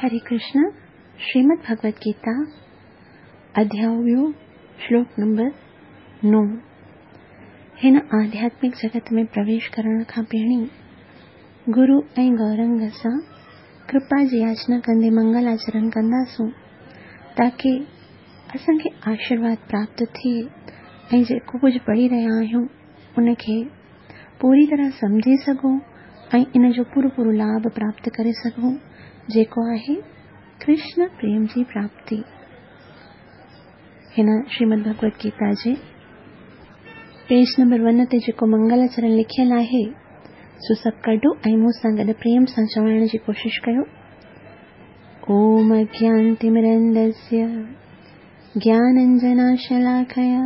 हरे कृष्ण, श्रीमद् भगवत गीता, अध्याय ॿियो, श्लोक नंबर 9। हिन आध्यात्मिक जगत में प्रवेश करण खां पहिरीं गुरु ऐं गौरंग सां कृपा जी याचना कंदे मंगल आचरण कंदासूं, ताकी असांखे आशीर्वाद प्राप्त थिए ऐं जेको कुझु पढ़ी रहिया आहियूं उनखे पूरी तरह सम्झी सघूं ऐं इन जो पूरो पूरो लाभ प्राप्त करे सघूं, जेको आहे कृष्ण प्रेम जी प्राप्ति। हिन श्रीमद् भगवत गीता जे पेज नंबर 1 ते जेको मंगलाचरण लिखियल आहे सो सभु कढो ऐं मूं सां गॾु प्रेम सां चवण जी कोशिशि कयो। ओम अज्ञानतिमिरन्दस्य ज्ञानाञ्जनशलाकया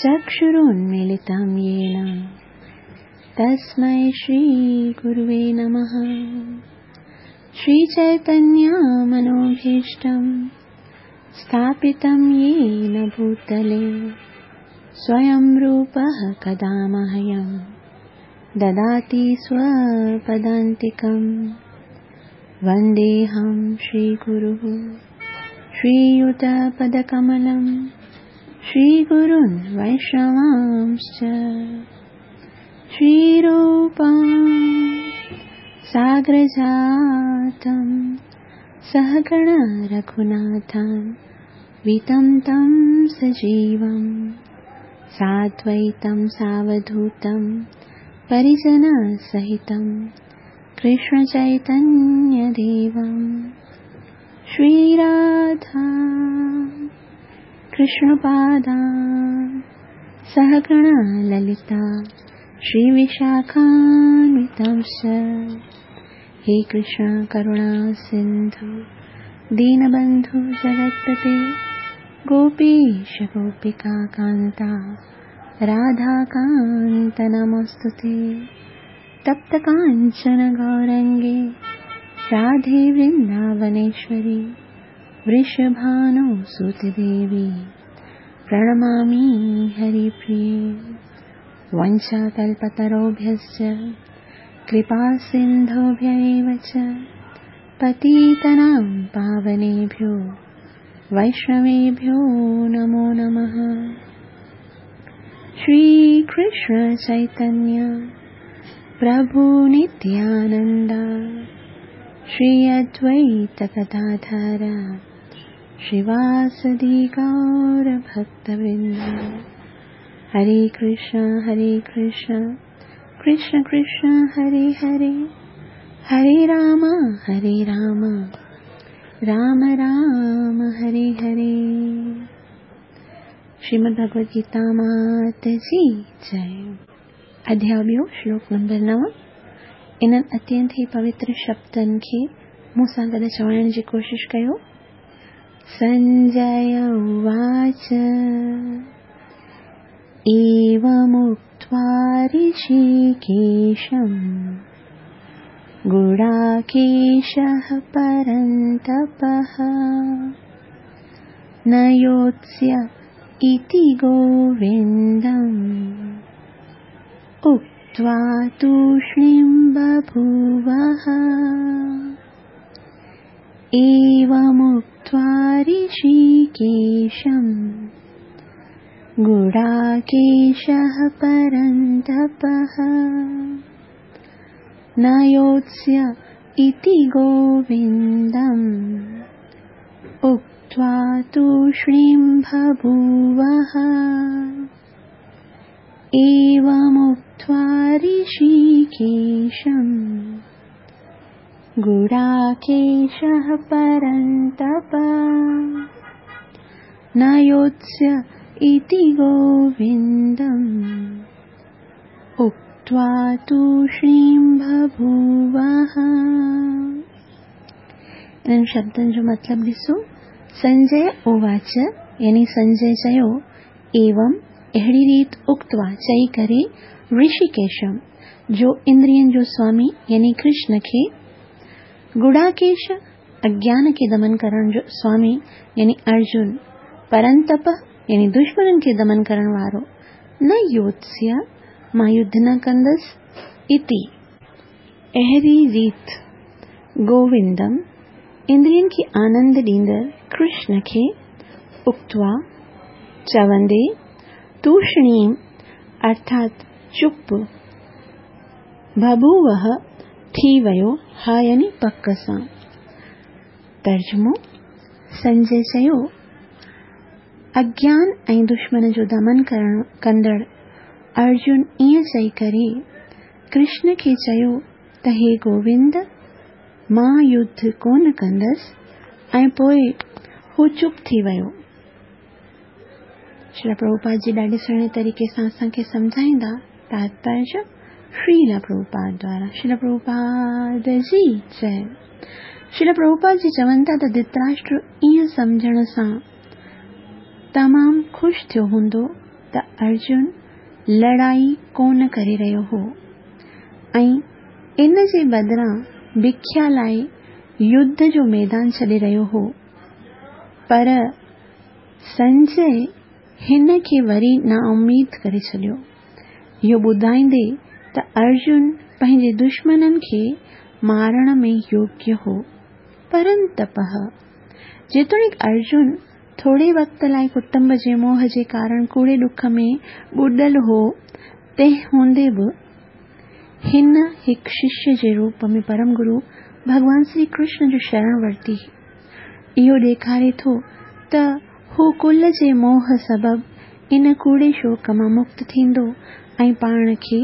चक्षुरुन्मीलितं येन तस्मै श्रीगुरुवे नमः। श्रीचैतन्यमनोभीष्टं स्थापितं येन भूतले स्वयं रूपः कदा मह्यं ददाति स्वपदान्तिकं। वन्देऽहं श्रीगुरुः श्रीयुतपदकमलं श्रीगुरुन् वैष्णवांश्च। श्रीरूपं साग्रजातं सहगण रघुनाथं वितं तं सजीवं साद्वैतं सावधूतं परिजनसहितं कृष्णचैतन्यदेवं। श्रीराधा कृष्णपादा सहगण ललिता श्रीविशाखान्वितांश्च। हे कृष्ण करुणा सिन्धु दीनबन्धु जगत्पते गोपीश गोपिका कान्ता राधाकान्त नमोऽस्तुते। तप्त काञ्चन गौरङ्गे राधे वृन्दावनेश्वरी वृषभानुसुते देवी प्रणमामि हरिप्रिये। वंशाकल्पतरुभ्यश्च कृपासिन्धुभ्य एव च पतितानां पावनेभ्यो वैष्णवेभ्यो नमो नमः। श्रीकृष्ण चैतन्य प्रभु नित्यानन्द श्री अद्वैत गदाधर श्रीवासदि गौर भक्तवृन्द। हरे कृष्ण कृष्ण कृष्ण हरे हरे, हरे राम राम राम हरे हरे। श्रीमद् भगवत गीता मात जी जय। अध्याय ॿियो, श्लोक नंबर 9। इन्हनि अत्यंत ई पवित्र शब्दनि खे मूं सां गॾु चवण जी कोशिशि कयो। संजय उवाच एवमुक्त्वा ऋषिकेशं गुडाकेशः परन्तपः न योत्स्य इति गोविन्दम् उक्त्वा तूष्णीं बभूवः। एवमुक्त्वा ऋषिकेशं गुडाकेशः परन्तपः न योत्स्य इति गोविन्दम् उक्त्वा तूष्णीं बभूवः। एवमुक्त्वा ऋषिकेशं गुडाकेशः परन्तप न योत्स्य इति गोविन्दम् उक्त्वा तूष्णीं बभूवः। इन्हनि शब्दनि जो मतिलबु ॾिसो। संजय उवाच यानी संजय चयो, एवं अहिड़ी रीत उक्त्वा चई करे ऋषिकेशम जो इंद्रियनि जो स्वामी यानी कृष्ण खे, गुडाकेश अज्ञान खे दमन करण जो स्वामी यानी अर्जुन, परंतप यानी दुश्मननि खे दमन करण वारो, न योत्स्य मां युद्ध न कंदसि इति अहिड़ी रीत गोविंदम اندرين کي آنند ڏيندڙ ڪرشن کي، اڪتوا، چوندي، توشڻيم، ارٿات چپ، بڀووه، ٿي ويو، ها يعني پڪ سان. ترجمو، سنجي چيو، اگيان ۽ دشمن جو دمن ڪرڻ ڪندڙ ارجن ائين چئي ڪري ڪرشن کي چيو ته هي گووند! مان يڌ ڪونه ڪندس ۽ پوء هو چپ ٿي ويو. شريلا پرڀوپاد جي ڏاڍي سهڻي طريقي سان اسان کي سمجهائيندا تاتپريه شريلا پرڀوپاد دوارا شريلا پرڀوپاد جي جئي. شريلا پرڀوپاد جي چون ٿا ته ڌتراشٽر ائين سمجهڻ سان تمام خوش ٿيو هوندو ته ارجن لڙائي ڪونه ڪري رهيو هو ۽ ان جي بدران بکيا لاء يڌ جو ميدان ڇڏي رهيو هو، پر سنجي هن کي وري نااميد ڪري ڇڏيو، اهو ٻڌائيندي ته ارجن پنهنجي دشمنن کي مارڻ ۾ يوگيه هو. پرنتپه، جيتوڻيڪ ارجن ٿوري وقت لاء ڪٽنب جي موهه جي ڪارڻ ڪوڙي ڏک ۾ ٻڏل هو، تنهن هوندي به هن هڪ ششيه جي روپ ۾ پرم گرو ڀڳوان سري ڪرشن جو شرڻ ورتي. اهو ڏيکاري ٿو ته هو ڪل جي موهه سبب ان ڪوڙي شوق مان مڪت ٿيندو ۽ پاڻ کي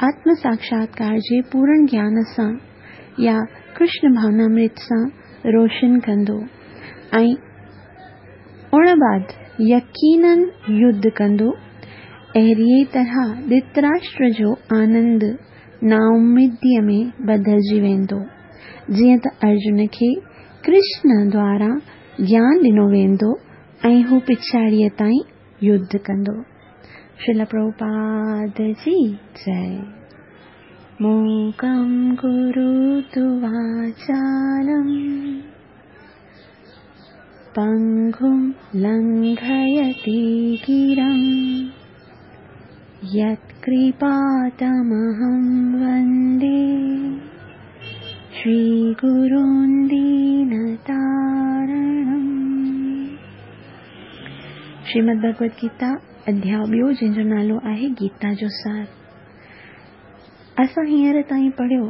آتم ساکشاتڪار جي پورڻ گيان سان يا ڪرشن ڀاونامرت سان روشن ڪندو ۽ ان بعد يقينن يڌ ڪندو. اهڙيء طرح ڌتراشٽر جو آنند نااميديء ۾ بدلجي ويندو، جيئن ته ارجن کي ڪرشن دواران گيان ڏنو ويندو ۽ هو پڇاڙيء تائين يڌ ڪندو. شريلا پرڀوپاد جي جئي. موڪم ڪروتو واچالم. پنگم لنگهيتي گرم يتڪرپا تمهم وندي شري گرون دينتارڻم. شريمد ڀڳوت گيتا اڌياء ٻيو جنهن جو نالو آهي گيتا جو سار. اسان هينئر تائين پڙهيو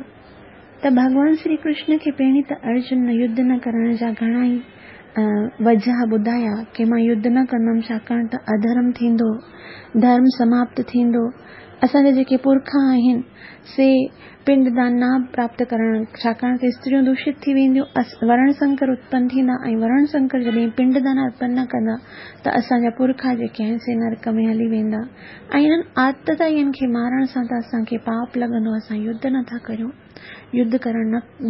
ته ڀڳوان سري ڪرشن کي پهرين ته ارجن يڌ نه ڪرڻ جا گهڻا ئي وجهه ٻڌايا ڪي مان يڌ نه ڪندم ڇاڪاڻ ته اڌرم ٿيندو، ڌرم سماپت ٿيندو، اسان جا جيڪي پرکا آهن سي پنڊ دان نه پراپت ڪرڻ ڇاڪاڻ ته استريون دوشت ٿي وينديون، ورڻ سنڪر اتپن ٿيندا ۽ ورڻ سنڪر جڏهن پنڊ دان ارپن نه ڪندا ته اسان جا پرکا جيڪي آهن سي نرڪ ۾ هلي ويندا ۽ انهن آتتائين کي مارڻ سان ته اسان کي پاپ لڳندو، اسان يڌ نه ٿا ڪريون، يڌ ڪرڻ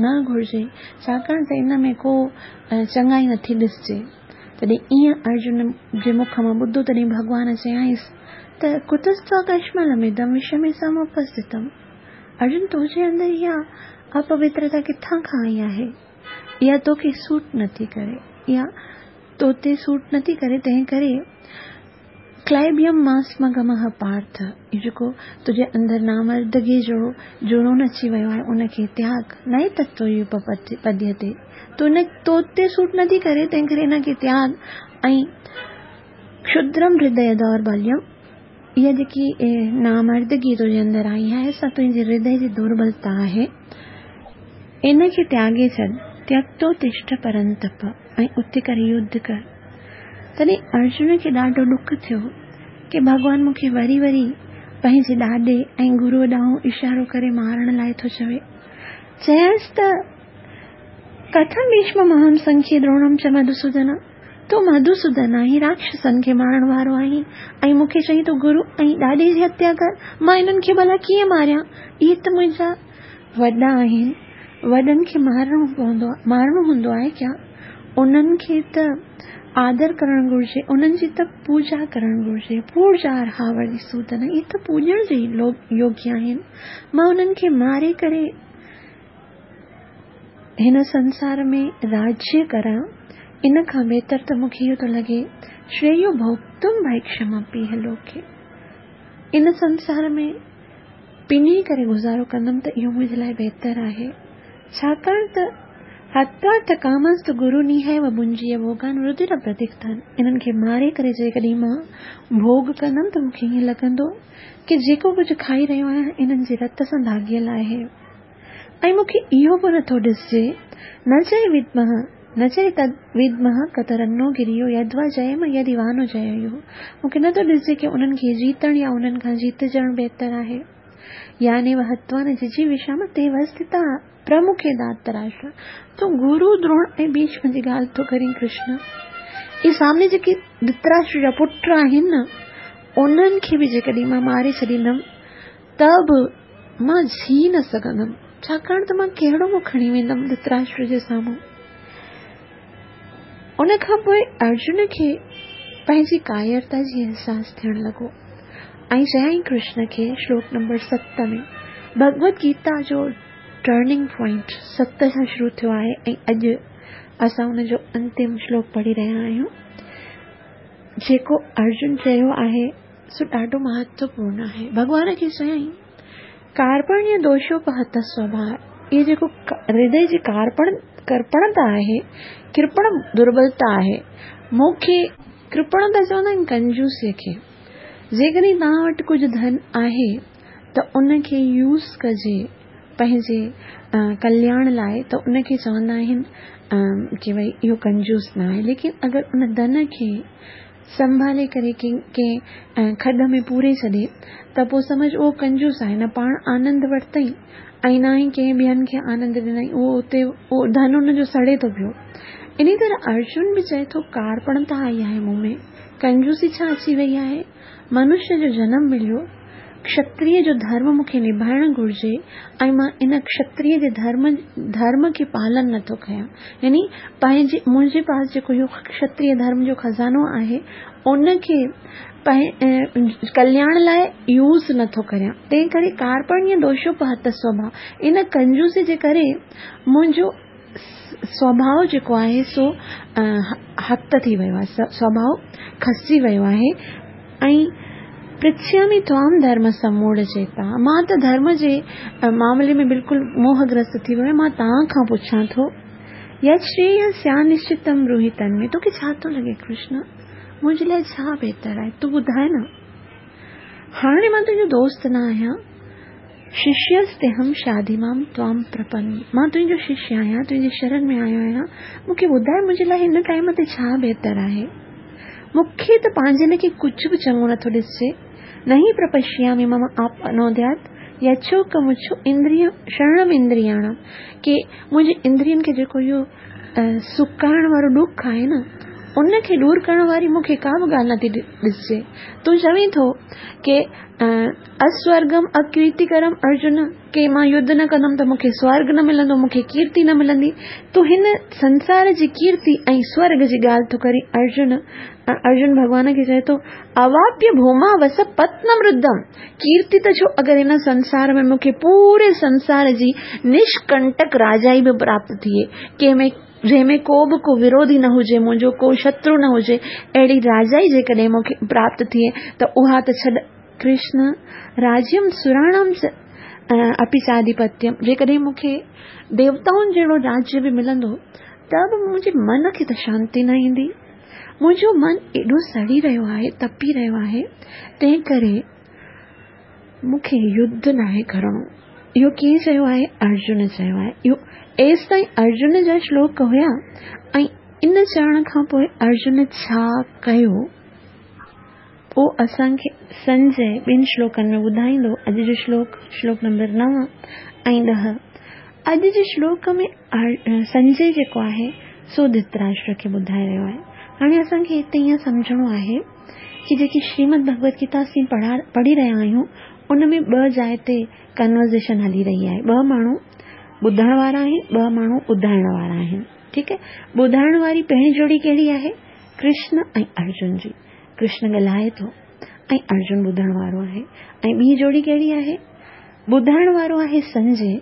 نه گهرجي، ڇاڪاڻ ته ان ۾ ڪو چڱائي نه ٿي ڏسجي. تڏهن ائين ارجن جي مک مان ٻڌو، تڏهن ڀڳوان چيائينس ته ڪتستوا ڪشملمدم وشمي سموپسٿتم، ارجن تنهنجي اندر اها اپوترتا ڪٿان کان آئي آهي؟ اها توکي سوٽ نه ٿي ڪري، اها تو تي سوٽ نه ٿي ڪري، تنهن ڪري ڪلائبيم ماسمگمه پارٿ، اهو جيڪو تنهنجي اندر نامردگيء جو جنون اچي ويو آهي، ان کي تياڳ، نئي تتو يوپپديتي، تو ان تو تي سوٽ نٿي ڪري، تنهن ڪري ان کي تياڳ ۽ ڪشدرم هردي دوربليم، اها جيڪي نامردگي تنهنجي اندر آئي آهي، سا تنهنجي هردي جي دوربلتا آهي، ان کي تياڳي ڇڏ، تيڪتو تشٺ پرنتپ، ۽ اٿي ڪري يڌ ڪر. تڏهن ارجن کي ڏاڍو ڏک ٿيو ڪي ڀڳوان مون کي وري وري پنهنجي ڏاڏي ۽ گروء ڏانهن اشارو ڪري مارڻ لاء ٿو چوي. چيائينس ته ڪٿم ڀيشممهم سنکيي دروڻم چ مڌوسودن، تون مڌوسودن آهين، راڪشسن کي مارڻ وارو آهين ۽ مون کي چئين ٿو گرو ۽ ڏاڏي جي هتيا ڪر، مان انهن کي ڀلا ڪيئن ماريان، اهي ته منهنجا وڏا آهن، وڏن کي مارڻو پوندو مارڻو هوندو آهي ڪيا؟ انهن کي ته آدر ڪرڻ گهرجي، انهن جي ته پوڄا ڪرڻ گهرجي، پوڄارها وري سودن، اهي ته پوڄڻ جي يوگيه آهن، مان انهن کي ماري ڪري هن سنسار ۾ راجيه ڪران، ان کان بهتر ته مون کي اهو ٿو لڳي، شريو ڀوڳتم ڀيڪشمپيهه لوڪي، ان سنسار ۾ پني ڪري گذارو ڪندم ته اهو منهنجي لاء بهتر آهي، ڇاڪاڻ ته هتوارٿ ڪامنستو گرونيهيو ڀنجيء ڀوڳان ردر پرتيڪتان، انهن کي ماري ڪري جيڪڏهن مان ڀوڳ ڪندم ته مون کي ائين لڳندو ڪي جيڪو ڪجهه کائي رهيو آهيان انهن جي رت سان داغيل آهي ۽ مون کي اهو به نٿو ڏسجي نه چئي ودمه نه چئي تد ودمه ڪترنو گريو يدوا جيم يدي وانو جييو مون کي نٿو ڏسجي ڪي انهن کي جيتڻ يا انهن کان جيتجڻ بهتر آهي يعني وهتوا نه ججيوشام تي وسٿتا پرمکي ڌارتراشٽر، تون گرو دروڻ ۽ ڀيشم جي ڳالهه ٿو ڪرين ڪرشن؟ اهي سامني جيڪي ڌرتراشٽر جا پٽ آهن نه، انهن کي به جيڪڏهن مان ماري ڇڏيندم ته به مان جي نه سگهندم، ڇاڪاڻ ته مان ڪهڙو منهن کڻي ويندم ڌرتراشٽر جي سامهون. ان کان پوء ارجن کي پنهنجي ڪائرتا جي احساس ٿيڻ لڳو ۽ چيائين ڪرشن کي شلوڪ نمبر 7 ۾ ڀڳوت گيتا جو ٽرننگ پوائنٽ 7 کان شروع ٿيو آهي ۽ اڄ اسان ان جو انتم شلوڪ پڙهي رهيا آهيون. جيڪو ارجن چيو آهي سو ڏاڍو مهتوپورڻ آهي. ڀڳوان کي چيائين ڪارپڻيه دوشوپهت سوڀاء، اهو جيڪو هردي جي ڪارپڻ ڪرپڻتا آهي، ڪرپڻ دربلتا آهي. مون کي ڪرپڻتا چوندا آهن ڪنجوسيء کي. جيڪڏهن توهان وٽ ڪجهه ڌن آهي ته ان کي يوز ڪجي پنهنجي ڪلياڻ لاء ته ان کي چوندا آهن ڪي ڀئي اهو ڪنجوس نه آهي ليڪن اگر ان ڌن کي سنڀالي ڪري ڪنهن کڏ ۾ پوري ڇڏي ته پوء سمجهه اهو ڪنجوس آهي نه پاڻ آنند ورتائين ۽ نه ئي ڪنهن ٻين کي آنند ڏنائين اهو اتي اهو ڌن ان جو سڙي ٿو پيو. انهي طرح ارجن به چئي ٿو ڪارپڻتا آئي آهي مون ۾ ڪنجوسي ڇا اچي وئي آهي منشيه جو جنم مليو ڪشتريه جو ڌرم مون کي نڀائڻ گهرجي ۽ مان ان ڪشتريه جي ڌرم ڌرم کي پالن نه ٿو ڪيان يعني پنهنجي منهنجي پاس جيڪو اهو ڪشتريه ڌرم جو خزانو آهي ان کي ڪلياڻ لاء يوز نه ٿو ڪريان تنهن ڪري ڪارپڻيه دوشوپهت سوڀاء ان ڪنجوسي جي ڪري منهنجو سوڀاء جيڪو آهي سو هت ٿي ويو آهي، سوڀاء کسجي ويو آهي ۽ پرڇيامي توام ڌرم سموڙ چيتا، مان ته ڌرم جي معاملي ۾ بلڪل موهگرست ٿي ويو آهيان، مان توهان کان پڇان ٿو، يت شرييه سيانشچتم بروهي تن ۾، توکي ڇا ٿو لڳي ڪرشن، منهنجي لاء ڇا بهتر آهي، تون ٻڌاء نه. هاڻي مان تنهنجو دوست نه آهيان. ششيستهم شاڌي مام توام پرپن، مان تنهنجو ششيه آهيان، تنهنجي شرن ۾ آيو آهيان، مون کي ٻڌاء منهنجي لاء هن ٽائيم تي ڇا بهتر آهي؟ مون کي ته پنهنجي ليکي ڪجهه به چڱو نٿو ڏسجي. نهي پرپشيامي مم آپنوديات يڇوڪمڇو اندريم شرڻم اندرياڻم، ڪي منهنجي اندرين کي جيڪو اهو سڪائڻ وارو ڏک آهي نه، ان کي ڏور ڪرڻ واري مون کي ڪا به ڳالهه نٿي ڏسجي. تون چوين ٿو ڪي اسورگم اڪيرتيڪرم ارجن، ڪي مان يڌ نه ڪندم ته مون کي سورگ نه ملندو، مون کي ڪيرتي نه ملندي. تون هن سنسار جي ڪيرتي ۽ سورگ جي ڳالهه ٿو ڪرين ارجن. ارجن ڀڳوان کي چئي ٿو، اواپيه ڀوما وس پتنم ردم، ڪيرتي ته ڇو اگر هن سنسار ۾ مون کي پوري سنسار جي نشڪنٽڪ راجائي به پراپت ٿئي، ڪنهن ۾ جنهن ۾ ڪو به ڪو وروڌي نه هجي، منهنجو ڪو شترو نه هجي، اهڙي راجائي جيڪڏهن مون کي پراپت ٿئي ته اها ته ڇڏ. ڪرشن، راجيم سراڻام چ اپي چاڌيپتيم، جيڪڏهن مون کي ديوتائن جهڙو راجيه به ملندو ته به منهنجي من کي ته شانتي نه ايندي. منهنجو من ايڏو سڙي رهيو آهي، تپي رهيو آهي، تنهن ڪري مون کي يڌ ناهي ڪرڻو. اهو ڪنهن چيو آهي؟ ارجن چيو آهي. اهو ايستائين ارجن جا شلوڪ هيا ۽ ان چوڻ کان پوء ارجن ڇا ڪيو، اهو اسان کي سنجي ٻن شلوڪن ۾ ٻڌائيندو. اڄ جو شلوڪ، شلوڪ نمبر 9 ۽ 10. اڄ جي شلوڪ ۾ سنجي جيڪو آهي سو ڌرتراشٽر کي ٻڌائي رهيو آهي. هاڻي اسان کي هتي ائين سمجهڻو آهي ڪي جيڪي شريمد ڀڳوت گيتا اسين پڙهي رهيا آهيون ان ۾ ٻه جاء تي ڪنورزيشن هلي رهي آهي. ٻه ماڻهو ٻڌڻ وارا آهن، ٻه ماڻهو ٻڌائڻ وارا آهن. ٺيڪ آهي. ٻڌائڻ واري پهرين جوڙي ڪهڙي آهي؟ ڪرشن ۽ ارجن جي. ڪرشن ڳالهائي ٿو ۽ ارجن ٻڌڻ وارو آهي. ۽ ٻي جوڙي ڪهڙي آهي؟ ٻڌائڻ وارو آهي سنجي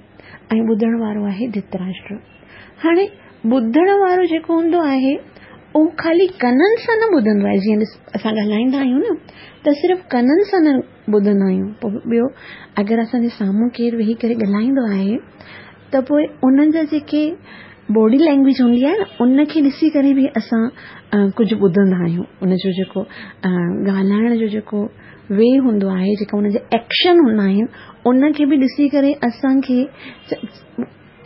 ۽ ٻڌڻ وارو آهي ڌرتراشٽر. هاڻي ٻڌڻ وارو جيڪو هوندو آهي اهو خالي ڪنن سان نه ٻڌندو آهي جيئن اسان ڳالهائيندا آهيون نه ته صرف ڪنن سان نه ٻڌندا آهيون پوء ٻيو اگر اسان جي سامهون ڪير ويهي ڪري ڳالهائيندو آهي ته پوء انهن جا جيڪي باڊي لينگويج هوندي آهي نه ان کي ڏسي ڪري به اسان ڪجهه ٻڌندا آهيون. ان جو جيڪو ڳالهائڻ جو جيڪو وي هوندو آهي، جيڪا ان جا ايڪشن هوندا آهن، ان کي به ڏسي ڪري اسان کي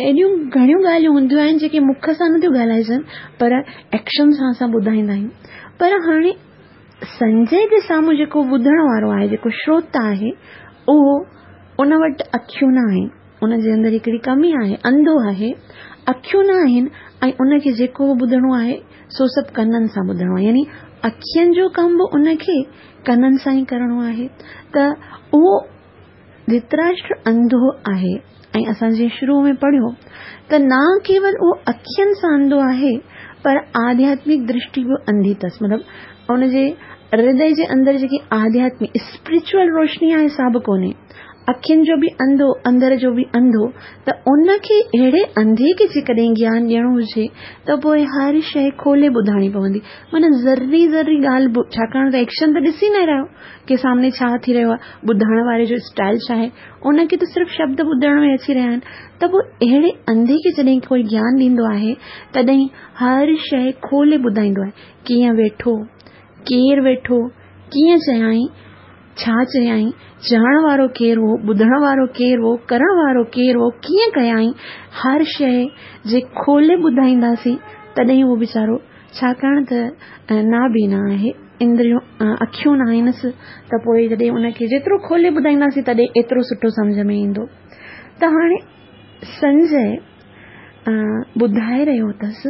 اهڙيون گهڻيون ڳالهيون هونديون آهن جيڪي مک سان نٿيون ڳالهائجن پر ايڪشن سان اسان ٻڌائيندا آهيون. پر هاڻي سنجي جي سامهون جيڪو ٻڌڻ وارو آهي، جيڪو شروتا آهي، اهو ان وٽ اکيون نه آهن، ان جي اندر هڪڙي ڪمي آهي، انڌو آهي، اکيون نه آهن ۽ ان کي جيڪو به ٻڌڻو آهي سو سڀ ڪنن سان ٻڌڻو آهي، يعني اکين جو ڪم به ان کي ڪنن سان ئي ڪرڻو آهي ته اهو ڌرتراشٽر انڌو آهي ۽ اسان جيئن شروع ۾ پڙهيو ته نه ڪيول اهو اکين سان انڌو آهي پر آڌياتمڪ درشٽي به انڌي اٿس، مطلب ان جي هردي جي اندر جيڪي آڌياتمڪ اسپرچوئل روشني آهي سا به ڪونهي، اکين جو به انڌو اندر جو به انڌو، ته ان کي اهڙي انڌي کي جيڪڏهن گيان ڏيڻو هجي ته پوء هر شيء کولي ٻڌائڻي پوندي، معنيٰ ذري ذري ڳالهه به، ڇاڪاڻ ته ايڪشن ته ڏسي نه رهيو ڪي سامني ڇا ٿي رهيو آهي، ٻڌڻ واري جو اسٽائل ڇا آهي، ان کي ته صرف شبد ٻڌڻ ۾ اچي رهيا آهن، ته پوء اهڙي انڌي کي جڏهن ڪوئي گيان ڏيندو آهي تڏهن هر شيء کولي ٻڌائيندو آهي، ڪيئن ويٺو، ڪير ويٺو، ڪيئن چيائين، ڇا چيائين، چوڻ وارو ڪير هو، ٻڌڻ وارو ڪير هو، ڪرڻ وارو ڪير هو، ڪيئن ڪيائين، هر شيء جي کولي ٻڌائينداسين تڏهن اهو ويچارو ڇاڪاڻ ته نابينا آهي، اندريون اکيون نه آهنس ته پوء جڏهن ان کي جيترو کولي ٻڌائينداسين تڏهن ايترو سٺو سمجهه ۾ ايندو. ته هاڻي سنجي ٻڌائي رهيو اٿس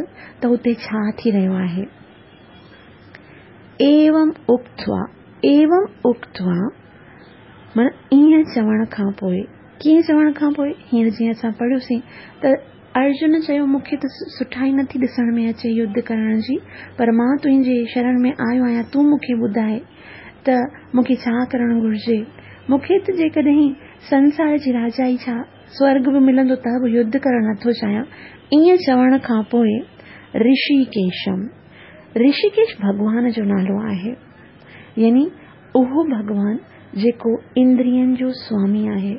ته اتي ڇا ٿي رهيو آهي. ايوم اڪتوا، ايوم اڪتوا معنيٰ ائين چوڻ کان پوء، ڪيئن چوڻ کان پوء؟ هينئر جيئن اسان پڙهيوسين ته ارجن چيو، مون کي ته سٺائي نٿي ڏسڻ ۾ اچي يڌ ڪرڻ جي، پر مان تنهنجي شرڻ ۾ آيو آهيان، تون مون کي ٻڌاء ته مون کي ڇا ڪرڻ گهرجي؟ مون کي ته جيڪڏهن سنسار جي راجائي ڇا، سورڳ به ملندو ته به يڌ ڪرڻ نٿو چاهيان. ائين چوڻ کان پوء رشيڪيشم، رشيڪيش ڀڳوان جو نالو آهي، يعني اهو ڀڳوان جيڪو اندرين جو سوامي آهي.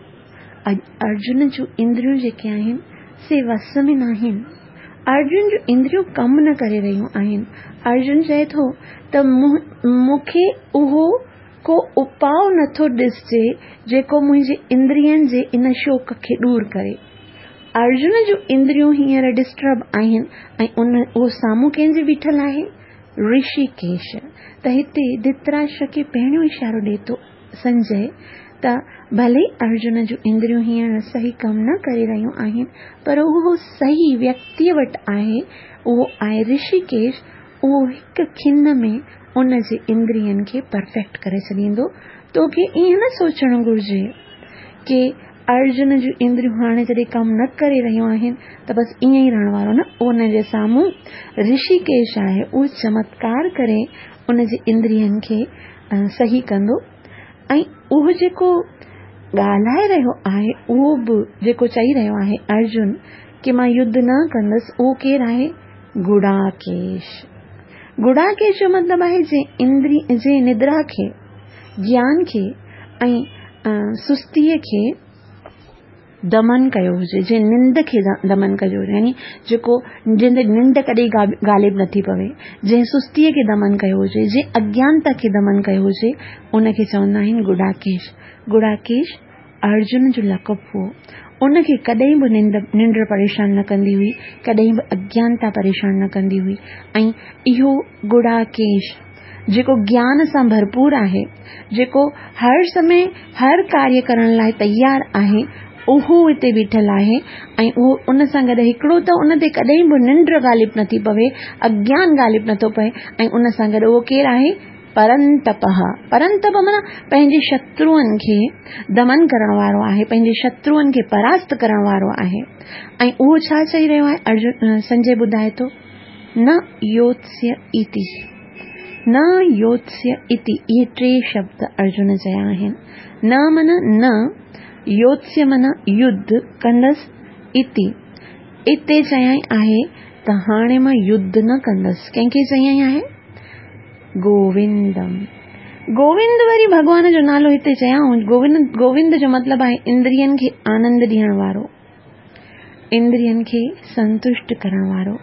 اڄ ارجن جون اندريون جيڪي آهن سي وس ۾ ناهن. ارجن جون اندريون ڪم نه ڪري رهيون آهن. ارجن چئي ٿو ته مون کي اهو ڪو اپاء نٿو ڏسجي جيڪو منهنجي اندرين جي ان شوق کي ڏور ڪري. ارجن جون اندريون هينئر ڊسٽرب آهن ۽ ان اهو سامهون ڪنهن جي بيٺل آهي؟ رشيڪيش، ته هتي ڌرتراشٽر کي پهريون اشارو ڏئي ٿو سنجي ته ڀلي ارجن جون اندريون هينئر صحيح ڪم نه ڪري رهيون آهن پر اهو صحيح ويڪتيء وٽ آهي، اهو آهي رشيڪيش، اهو هڪ کن ۾ ان جي اندرين کي پرفيڪٽ ڪري ڇڏيندو، توکي ائين نه سوچڻ گهرجي ڪي ارجن جون اندريون هاڻي جڏهن ڪم نه ڪري رهيون آهن ته بس ائين ئي رهڻ وارو نه، ان جي سامهون رشيڪيش آهي، اهو چمتڪار ڪري ان جي اندرين کي صحيح ڪندو ۽ اهو جيڪو ڳالهائي رهيو آهي اهو به جيڪو چئي رهيو آهي ارجن ڪي مان يڌ نه ڪندس اهو ڪير آهي؟ گڙاڪيش. گڙاڪيش جو مطلب آهي جنهن اندري جنهن ندرا کي، گيان کي ۽ سستيء کي دمن ڪيو هجي، جنهن ننڊ کي دمن ڪيو هجي، يعني جيڪو جنهن تي ننڊ ڪڏهن غالب نٿي پوي، جنهن سستيء کي دمن ڪيو هجي، جنهن اگيانتا کي دمن ڪيو هجي، ان کي چوندا آهن گڙاڪيش. گڙاڪيش ارجن جو لقب هو. ان کي ڪڏهن به ننڊ پريشان نه ڪندي هئي، ڪڏهن به اگيانتا پريشان نه ڪندي هئي ۽ اهو گڙاڪيش جيڪو گيان سان ڀرپور آهي، جيڪو هر سمي هر ڪاريه ڪرڻ لاء تيار آهي، اهو هتي بيٺل آهي ۽ اهو ان سان گڏ هڪڙو ته ان تي ڪڏهن به ننڊ غالب نٿي پوي، اگيان غالب نٿو پئي ۽ ان سان گڏ اهو ڪير آهي؟ پرنتپه، پرنتپ معنيٰ پنهنجي شتروئن کي دمن ڪرڻ وارو آهي، پنهنجي شتروئن کي پراست ڪرڻ وارو آهي ۽ اهو ڇا چئي رهيو آهي؟ ارجن سنجي ٻڌائي ٿو. نه يوتسيه اتي، نه يوتسيه اتي، اهي ٽي شبد ارجن چيا آهن. نه معنيٰ نه، يوتسيه معنيٰ يڌ ڪندس، اتي، اتي چيائين آهي ته هاڻي مان يڌ نه ڪندس. ڪنهن کي چيائين آهي؟ گووندم. گووند وري ڀڳوان جو نالو هتي چيائون. گووند، گووند جو مطلب آهي اندرين کي آنند ڏيڻ وارو. اندرين کي سنتشٽ ڪرڻ وارو.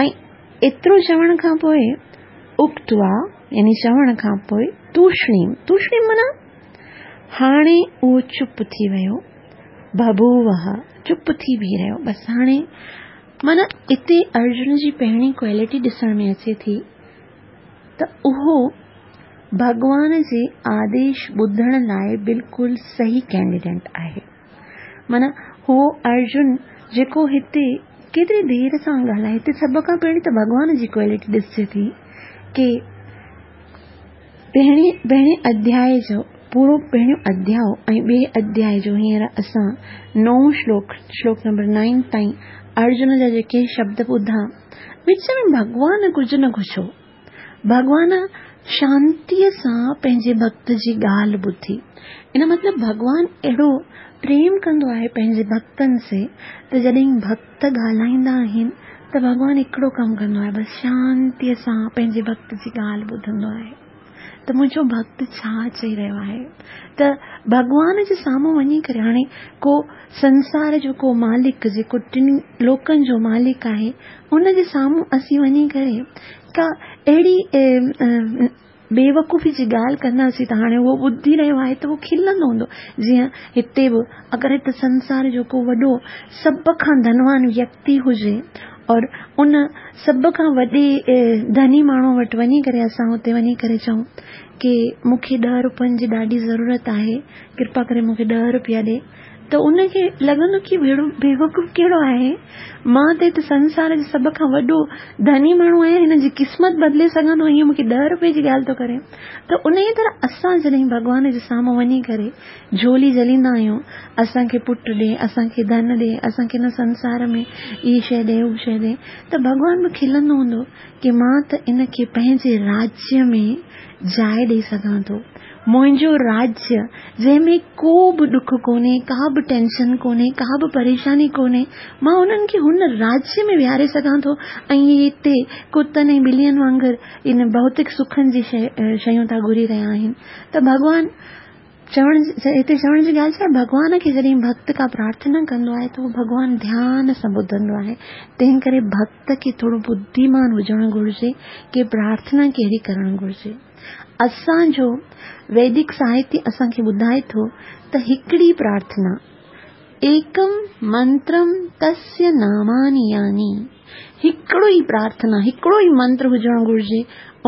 ۽ ايترو چوڻ کان پوء اڪتوا يعني چوڻ کان پوء توشڻيم، توشڻيم معنيٰ هاڻي اهو چپ ٿي ويو، بڀووه چپ ٿي بيهي رهيو، بس هاڻي معنيٰ اتي ارجن جي پهرين ڪوالٽي ڏسڻ ۾ اچي ٿي ته اهو ڀڳوان جي آديش ٻڌڻ لاء بلڪل صحيح ڪينڊيڊيٽ آهي. معنيٰ هو ارجن جيڪو هتي ڪيتري دير سان ڳالهائي، هتي سڀ کان پهرين ته ڀڳوان جي ڪوالٽي ڏسجي ٿي ڪي پهرين پهرين اڌياء جو پورو پهريون اڌياء ۽ ٻئي اڌياء جو هينئر اسان نئون شلوڪ، شلوڪ نمبر نائن تائين ارجن جا جيڪي شبد ٻڌا، وچ ۾ ڀڳوان ڪجهه نه گهڇو. ڀڳوان شانتيء سان پنهنجي ڀڳت جي ڳالهه ٻڌي. ان مطلب ڀڳوان اهڙو پريم ڪندو آهي پنهنجي ڀڳتن سي ته جڏهن ڀڳت ڳالهائيندا آهن ته ڀڳوان هڪڙو ڪم ڪندو آهي بس شانتيء سان پنهنجي ڀڳت جي ڳالهه ٻڌندو آهي ته منهنجو ڀڳت ڇا چئي رهيو آهي ته ڀڳوان جي سامهون وڃي ڪري هاڻي ڪو سنسار جو ڪو مالڪ جيڪو ٽن لوڪن جو مالڪ آهي ان جي سامهون اسين وڃي ڪري ڪا اهڙي بيوقوفي جي ڳالهه ڪنداسين ته هاڻي اهو ٻڌي رهيو آهي ته اهو کلندو هوندو. جيئن هتي به اگر هت سنسار جو ڪو وڏو سڀ کان ڌنوان ويڪتي هجي اور ان سڀ کان وڏي ڌني ماڻهو وٽ وڃي ڪري اسان اتي وڃي ڪري چئون ڪي مون کي ڏهه روپين جي ڏاڍي ضرورت آهي ڪرپا ڪري مون کي ڏهه روپيا ڏي ته ان کي لڳندو ڪي ههڙو بيوقوف ڪهڙو آهي، مان ته هت سنسار جو سڀ کان وڏو ڌني ماڻهو آهيان، هن جي قسمت بدلي سگهان ٿو، هيئن مون کي ڏهه روپئي جي ڳالهه ٿو ڪري. ته انهيء طرح اسان جڏهن ڀڳوان جي سامهون وڃي ڪري جهولي جهليندا آهيون، اسان کي پٽ ڏي، اسان کي ڌن ڏي، اسان کي هن سنسار ۾ هي شيء ڏي، هو شيء ڏي، ته ڀڳوان به کلندو هوندو ڪي مان ته ان کي پنهنجي راجيه ۾ جاء ڏئي سگهان ٿو. منهنجو راجيه، جنهن ۾ ڪو به ڏک ڪونهي، ڪا به ٽينشن ڪونهي، ڪا به پريشاني ڪونهي، مان انهن کي هن راجيه ۾ ويهاري سگهان ٿو ۽ اهي هتي ڪتن ۽ ٻلين وانگر ان ڀوتڪ سکن جي شيون ٿا گهري رهيا آهن ته ڀڳوان چوڻ هتي چوڻ جي ڳالهه ڇا آهي ڀڳوان کي جڏهن ڀڳت ڪا پرارٿنا ڪندو آهي ته اهو ڀڳوان ڌيان سان ٻڌندو آهي تنهن ڪري ڀڳت کي ٿورو ٻڌيمان هجڻ گهرجي ڪي پرارٿنا ڪهڙي ڪرڻ گهرجي. اسان جو ويدڪ ساهتيه اسان کي ٻڌائي ٿو ته هڪڙي پرارٿنا، ايڪم منترم تسيه ناماني يعني هڪڙو ئي پرارٿنا، هڪڙو ئي منتر هجڻ گهرجي،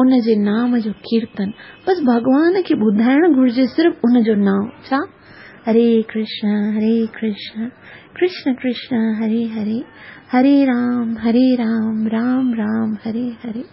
ان جي نام جو ڪيرتن، بس ڀڳوان کي ٻڌائڻ گهرجي صرف ان جو نام، ڇا؟ هري ڪرشن هري ڪرشن ڪرشن ڪرشن هري هري، هري رام هري رام رام رام هري هري.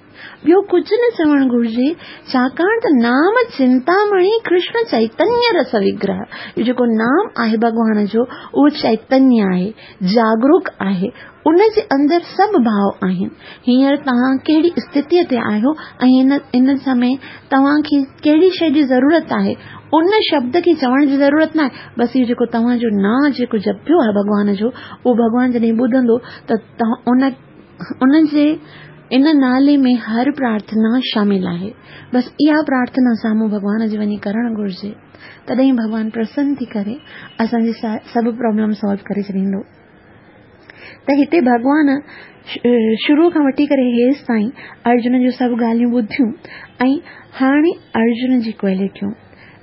ٻيو ڪجهه نه چوڻ گهرجي، ڇاڪاڻ ته نام چنتامڻي ڪرشن چئتنيه رس وگرهه، اهو جيڪو نام آهي ڀڳوان جو، اهو چئتنيه آهي، جاگروڪ آهي، ان جي اندر سڀ ڀاو آهن. هينئر توهان ڪهڙي استٿيء تي آهيو ۽ هن هن سمي توهان کي ڪهڙي شيء جي ضرورت آهي، ان شبد کي چوڻ جي ضرورت ناهي، بس اهو جيڪو توهان جو نانء جيڪو جپيو آهي ڀڳوان جو، اهو ڀڳوان جڏهن ٻڌندو ته ان ان جي ان نالي ۾ هر پرارٿنا شامل آهي. بس اها پرارٿنا سامهون ڀڳوان جي وڃي ڪرڻ گهرجي. تڏهن ڀڳوان پرسن ٿي ڪري اسان جي سڀ پرابلم سالو ڪري ڇڏيندو. ته هتي ڀڳوان شروع کان وٺي ڪري هيس تائين ارجن جون سڀ ڳالهيون ٻڌيون ۽ هاڻي ارجن جي ڪوالٽيون.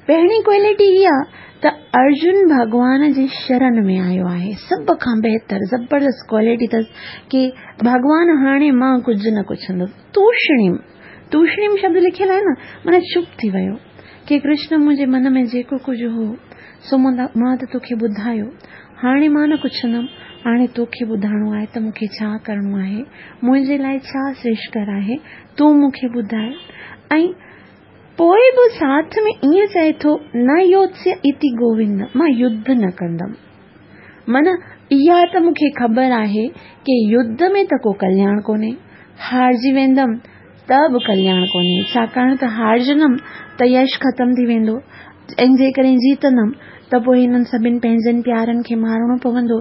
پهرين ڪوالٽي اها ته ارجن ڀڳوان جي شرن ۾ آيو آهي. سڀ کان بهتر زبردست ڪوالٽي اٿس ڪي ڀڳوان هاڻي مان ڪجهه نه پڇندس. توشڻيم، توشڻيم شبد لکيل آهي نه معنيٰ چپ ٿي ويو ڪي ڪرشن منهنجي من ۾ جيڪو ڪجهه هو سو مان ته توکي ٻڌايو هاڻي مان نه پڇندم هاڻي توکي ٻڌائڻو آهي ته مون کي ڇا ڪرڻو آهي منهنجي لاء ڇا شريشڪر آهي تون مون کي ٻڌاء ۽ پوء به ساٿ ۾ ائين چئي ٿو، نه يوتسيه اتي گووند، مان يڌ نه ڪندم. معنيٰ اها ته مون کي خبر آهي ڪي يڌ ۾ ته ڪو ڪلياڻ ڪونهي. هارجي ويندم ته به ڪلياڻ ڪونهي، ڇاڪاڻ ته هارجندم ته يش ختم ٿي ويندو ۽ جيڪڏهن جيتندم ته پوء هنن سڀن پنهنجن پيارن کي مارڻو پوندو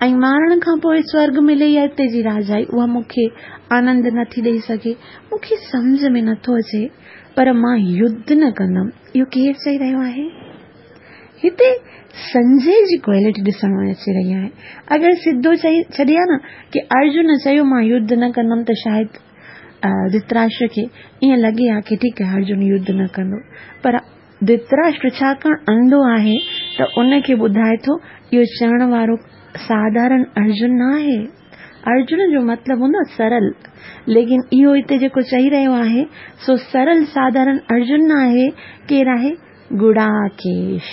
۽ مارڻ کان پوء سورڳ ملي يا اتي جي راجائي اها مون کي آنند نٿي ڏئي سگهي. مون کي سمجهه ۾ نٿو اچي پر مان يڌ نه ڪندم. اهو ڪير چئي رهيو آهي؟ هتي سنجي جي ڪوالٽي ڏسڻ ۾ اچي رهي آهي. اگر سڌو چئي ڇڏي ها نه ڪي ارجن چيو مان يڌ نه ڪندم ته شايد ڌرتراشٽر کي ائين لڳي ها ڪي ٺيڪ آهي ارجن يڌ نه ڪندو پر ڌرتراشٽر ڇاڪاڻ انڌو آهي ته ان کي ٻڌائي ٿو اهو چوڻ وارو ساڌارڻ ارجن نه آهي. ارجن جو مطلب هوندو آهي سرل ليڪن اهو هتي جيڪو چئي رهيو آهي سو سرل ساڌارڻ ارجن نه آهي ڪير آهي گڙاڪيش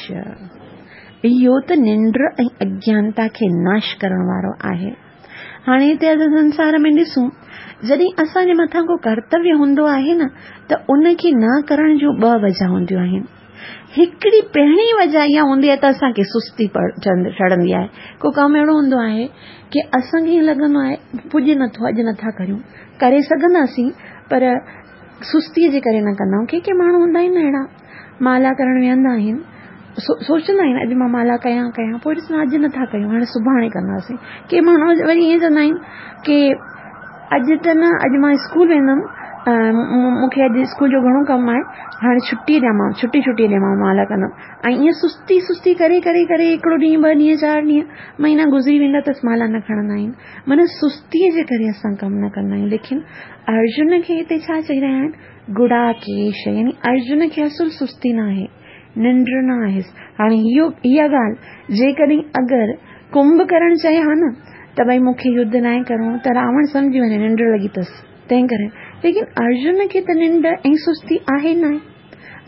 اهو ته ننڊ ۽ اگيانتا کي ناش ڪرڻ وارو آهي. هاڻي هتي اسان سنسار ۾ ڏسون جڏهن اسان جي مٿان ڪو ڪرتويه هوندو آهي نه ته ان کي نه ڪرڻ جون ٻه وجهه هونديون آهن. هڪڙي پهرين وجهه اها هوندي آهي ته اسان کي سستي چڙهندي آهي. ڪو ڪم اهڙو هوندو آهي ڪي اسان کي ائين لڳندو آهي پڄي نٿو اڄ نٿا ڪريون ڪري سگهنداسين پر سستيء جي ڪري نه ڪندا آهيون. ڪي ڪي ماڻهو هوندا آهن نه اهڙا مالا ڪرڻ ويهندا آهن سوچندا آهن اڄ مان مالا ڪيان ڪيان پوء ڏسندا اڄ نٿا ڪيون هاڻي سڀاڻي ڪنداسين ڪي ماڻهو وري ائين چوندا آهن ڪي اڄ ته نه اڄ مان اسڪول ويندم مون کي اڄ اسڪول جو گهڻو ڪم آهي هاڻي ڇٽي ڏيان مان ڇٽي ڇٽي ڏيان مان مالا ڪندم ۽ ائين سستي سستي ڪري ڪري ڪري هڪڙو ڏينهن ٻه ڏينهن چار ڏينهن مهينا گذري ويندا اٿس مالا نه کڻندا آهن معنيٰ سستيء جي ڪري اسان ڪم نه ڪندا آهيون ليڪن ارجن کي هتي ڇا چئي رهيا آهن گڙاڪيش يعني ارجن کي اصل سستي نه آهي ننڊ نه آهيس هاڻي اهو اها ڳالهه جيڪڏهن اگر ڪنڀ ڪرڻ چئي ها نه ته ڀئي مون کي يڌ ناهي ڪرڻو ته راوڻ سمجهي وڃي ننڊ لڳي اٿس تنهن ڪري ليڪن ارجن کي ته ننڊ ۽ سستي آهي ناهي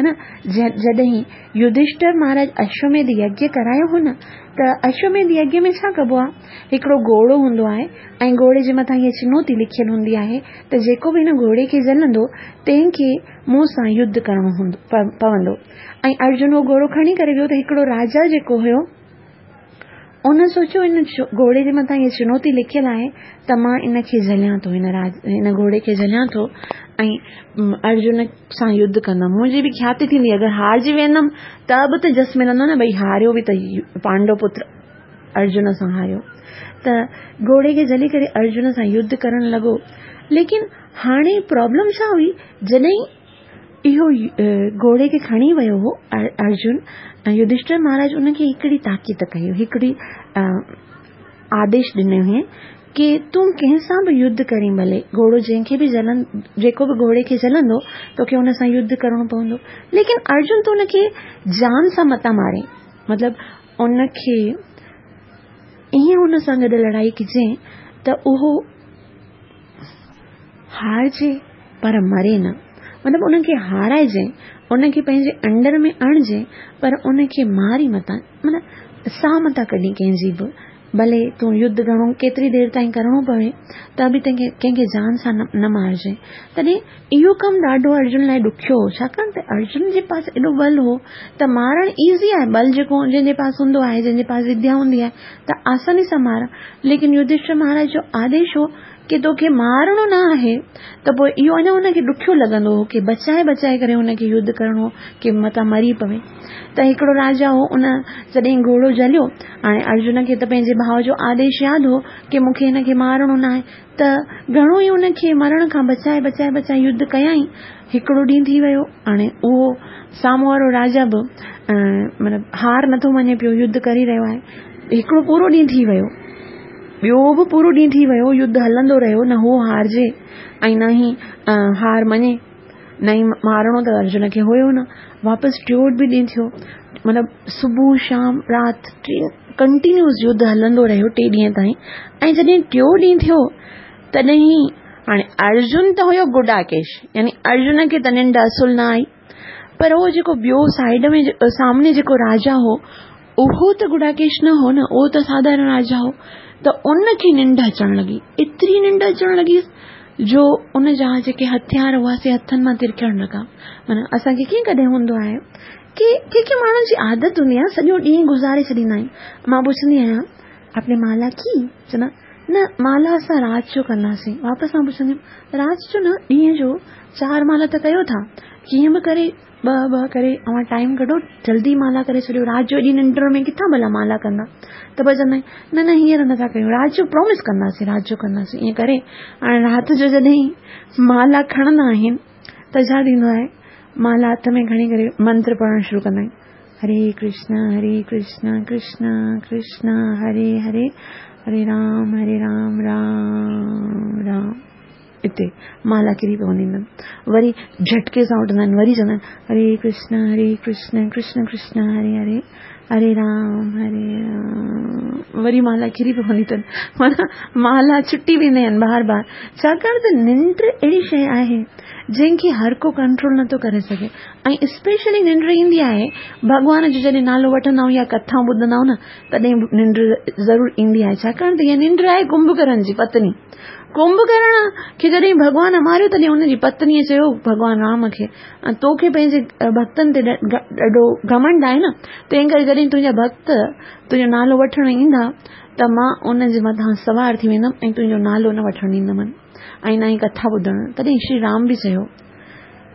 نه جڏهن يڌشٽر مهاراج اشوميڌ يگيه ڪرايو هو نه ته اشوميڌ يگيه ۾ ڇا ڪبو آهي هڪڙو گهوڙو هوندو آهي ۽ گهوڙي جي مٿان هيء چنوتي لکيل هوندي آهي ته جيڪو به هن گهوڙي کي جهلندو تنهن کي مون سان يڌ ڪرڻو هوندو پوندو ۽ ارجن اهو گهوڙو کڻي ڪري ويو ته هڪڙو راجا جيڪو هيو ان سوچيو ان گهوڙي جي مٿان هيء چنوتي لکيل آهي ته مان ان کي جهليان ٿو هن راج هن گهوڙي کي جهليان ٿو ۽ ارجن سان يڌ ڪندم منهنجي به کياتي ٿيندي اگر هارجي ويندم ته به ته جس ملندو نه ڀئي هاريو به ته پانڊو پتر ارجن سان هاريو ته گهوڙي کي جهلي ڪري ارجن سان يڌ ڪرڻ لڳو ليڪن هاڻي پرابلم ڇا هئي جڏهن اهو گهوڙي کي کڻي ويو هو ارجن ۽ يڌشٽر مهاراج ان کي هڪڙي تاڪيد ڪئي هڪڙي آديش ڏنو هئي ڪي تون ڪنهن سان به يڌ ڪرين ڀلي گهوڙو جنهن کي به جهلن جيڪو به گهوڙي کي جهلندو توکي ان سان يڌ ڪرڻو پوندو ليڪن ارجن تون ان کي جان سان متان مارين مطلب ان کي ائين ان سان گڏ لڙائي ڪجي ته اهو هارجي پر مري نه. مطلب ان کي هارائجي، ان کي پنهنجي انڊر ۾ آڻجي پر ان کي ماري متان معنيٰ ساهه متان ڪڍين ڪنهن جي به. ڀلي تون يڌ گهڻو ڪيتري دير تائين ڪرڻو پوي ته به تنهن کي ڪنهن کي جان سان نه مارجي. تڏهن اهو ڪم ڏاڍو ارجن لاء ڏکيو هو ڇاڪاڻ ته ارجن جي پاس ايڏو ٻل هو ته مارڻ ايزي آهي ٻل جيڪو جنهن جي پاس هوندو آهي جنهن جي پاس وديا هوندي آهي ته آساني سان مار ليڪن يڌشٽر مهاراج جو آديش هو ڪي توکي مارڻو نه آهي ته پوء اهو اڃا هن کي ڏکيو لڳندو هو ڪي بچائي بچائي ڪري هن کي يڌ ڪرڻو هو ڪي متان مري پوي ته هڪڙو راجا هو ان جڏهن گهوڙو جهليو هاڻي ارجن کي ته پنهنجي ڀاء جو آديش ياد هو ڪي مون کي هن کي مارڻو نه آهي ته گهڻو ئي ان کي مرڻ کان بچائي بچائي بچائي يڌ ڪيائين هڪڙو ڏينهن ٿي ويو هاڻي اهو سامهون وارو راجا به مطلب هار نٿو مڃي پيو يڌ ڪري رهيو آهي هڪڙو پورو ڏينهن ٿي ويو ٻيو به پورو ڏينهن ٿي ويو يڌ هلندو رهيو نه هو هارجي ۽ نه ئي هار مڃي نه ئي مارڻو ته ارجن کي هيو نه واپس ٽيون به ڏينهن ٿيو مطلب صبح شام رات ڪنٽينيوس يڌ هلندو رهيو ٽي ڏينهن تائين ۽ جڏهن ٽيون ڏينهن ٿيو تڏهن هاڻي ارجن ته هيو گڊاڪيش يعني ارجن کي ته ننڊ اصل نه آئي پر اهو جيڪو ٻيو سائيڊ ۾ سامني جيڪو راجا هو اهو ته گڊاڪيش نه هو نه اهو ته ساڌارڻ راجا هو ته ان کي ننڊ اچڻ لڳي ايتري ننڊ اچڻ لڳي جو ان جا جيڪي هٿيار هئا سي هٿن مان ترڪڻ لڳا معنيٰ اسان کي ڪيئن ڪڏهن هوندو آهي ڪي ڪي ڪي ماڻهن جي عادت هوندي آهي سڄو ڏينهن گذاري ڇڏيندا آهن مان پڇندي آهيان آپ ني مالا ڪي چوندا نه مالا اسان رات جو ڪنداسين واپس مان پڇنديم رات جو نه ڏينهن جو چار مالا ته ڪيو ٿا ڪيئن به ڪري ٻه ٻه ڪري اوهان ٽائيم ڪڍو جلدي مالا ڪري ڇڏيو رات جو ايڏي ننڊ ۾ ڪٿان ڀلا مالا ڪندا ته پوء چوندا آهن نه نه هينئر نٿا ڪيون رات جو پرومس ڪنداسين رات جو ڪنداسين ائين ڪري هاڻي رات جو جڏهن مالا کڻندا آهن ته ڇا ٿيندو آهي مالا هٿ ۾ کڻي ڪري منتر پڙهڻ شروع ڪندا آهن هري ڪرشن هري ڪرشن ڪرشن ڪرشن هري هري، هري رام هري رام رام رام. اتي مالا ڪري پوندي اٿن. وري جهٽڪي سان اٿندا آهن، وري چوندا آهن هري ڪرشن هري ڪرشن ڪرشن ڪرشن هري هري، هري رام هري رام. وري مالا ڪري پوندي اٿن، معنيٰ مالا ڇٽي ويندا آهن بار بار. ڇاڪاڻ ته ننڊ اهڙي شيء آهي جنهن کي هر ڪو ڪنٽرول نٿو ڪري سگهي، ۽ اسپيشلي ننڊ ايندي آهي ڀڳوان جو جڏهن نالو وٺندا آهيون يا ڪٿائون ٻڌندا آهيون نه، تڏهن ننڊ ضرور ايندي آهي. ڇاڪاڻ ته اها ننڊ آهي ڪنڀڪرڻ جي پتني. ڪنڀڪرڻ کي جڏهن ڀڳوان ماريو تڏهن ان جي پتنيء چيو ڀڳوان رام کي، توکي پنهنجي ڀڳتن تي ڏاڍو گهمنڊ آهي نه، تنهن ڪري جڏهن تنهنجا ڀڳت تنهنجو نالو وٺڻ ايندا ته مان ان جي مٿان سوار ٿي ويندم ۽ تنهنجو نالو نه وٺڻ ڏيندم ۽ نه ئي ڪٿا ٻڌڻ. تڏهن شري رام به چيو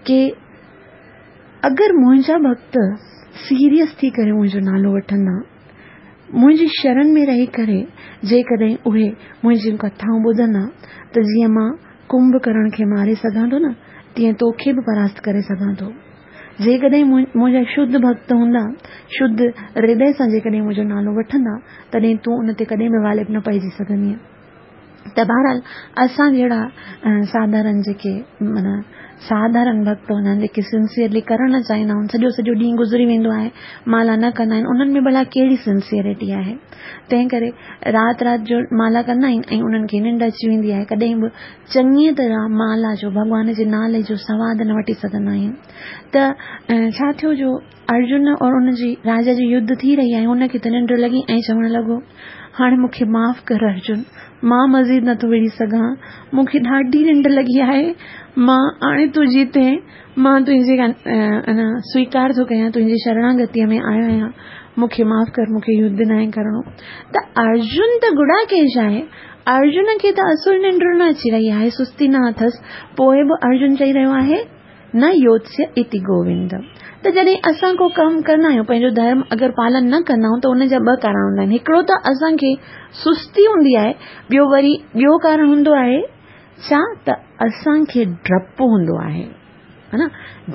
ڪي اگر منهنجا ڀڳت سيريس ٿي ڪري منهنجو نالو وٺندا، منهنجي شرن ۾ رهي ڪري جيڪڏهن اهي منهنجيون ڪٿائون ٻڌندا ته جيئن مان ڪنڀڪرڻ کي ماري سگهان ٿو نه، تيئن توکي به پراست ڪري سگهان ٿو. جيڪڏهن منهنجا شڌ ڀڳت هوندا، شڌ هردي سان جيڪڏهن منهنجو نالو وٺندا، تڏهن تون ان تي ڪڏهن به غالب نه پئجي سگهندينء. ته بهرحال اسان جهڙا ساڌارن جيڪي معنيٰ ساڌارن ڀڳت هوندا آهن، جيڪي سنسيئرلي ڪرڻ نه چاهيندا آهن، سڄو سڄو ڏينهن گذري ويندو آهي، مالا نه ڪندا آهن، انهن ۾ ڀلا ڪهڙي سنسيئرٽي آهي؟ تنهن ڪري رات رات جو مالا ڪندا آهن ۽ انهن کي ننڊ اچي ويندي آهي، ڪڏهن به چڱيء طرح مالا جو، ڀڳوان جي نالي جو سواد نه وٺي سگهندا آهن. ته ڇا ٿيو جو ارجن اور ان جي راجا جي يڌ ٿي رهي آهي، هن کي ته ننڊ لڳي ۽ چوڻ لڳو، هاڻي مون کي معاف ڪر ارجن، مان مزيد نٿو وڙهي سگهان، مون کي ڏاڍي ننڊ لڳي آهي، مان هاڻي تون جيتين، مان تنهنجي سويڪار ٿو ڪيان، تنهنجي شرڻاگتيء ۾ آيو آهيان، مون کي معاف ڪر، مون کي يڌ ناهي ڪرڻو. ته ارجن ته گڙاڪيش آهي، ارجن کي ته اصل ننڊ نه اچي رهي آهي، سستي نه اٿس، پوء به ارجن چئي رهيو آهي، نه يوتسيه اتي گووند. ته جڏهن اسان ڪو ڪم ڪندا آهيون، پنهنجو ڌرم اگر پالن نه ڪندا آهيون ته ان جا ٻه ڪارڻ هوندا آهن. هڪڙو ته اسان کي سستي هوندي آهي، ٻيو وري ٻيو ڪارڻ هوندو آهي ڇا ته اسان کي ڊپ هوندو آهي، ها نه،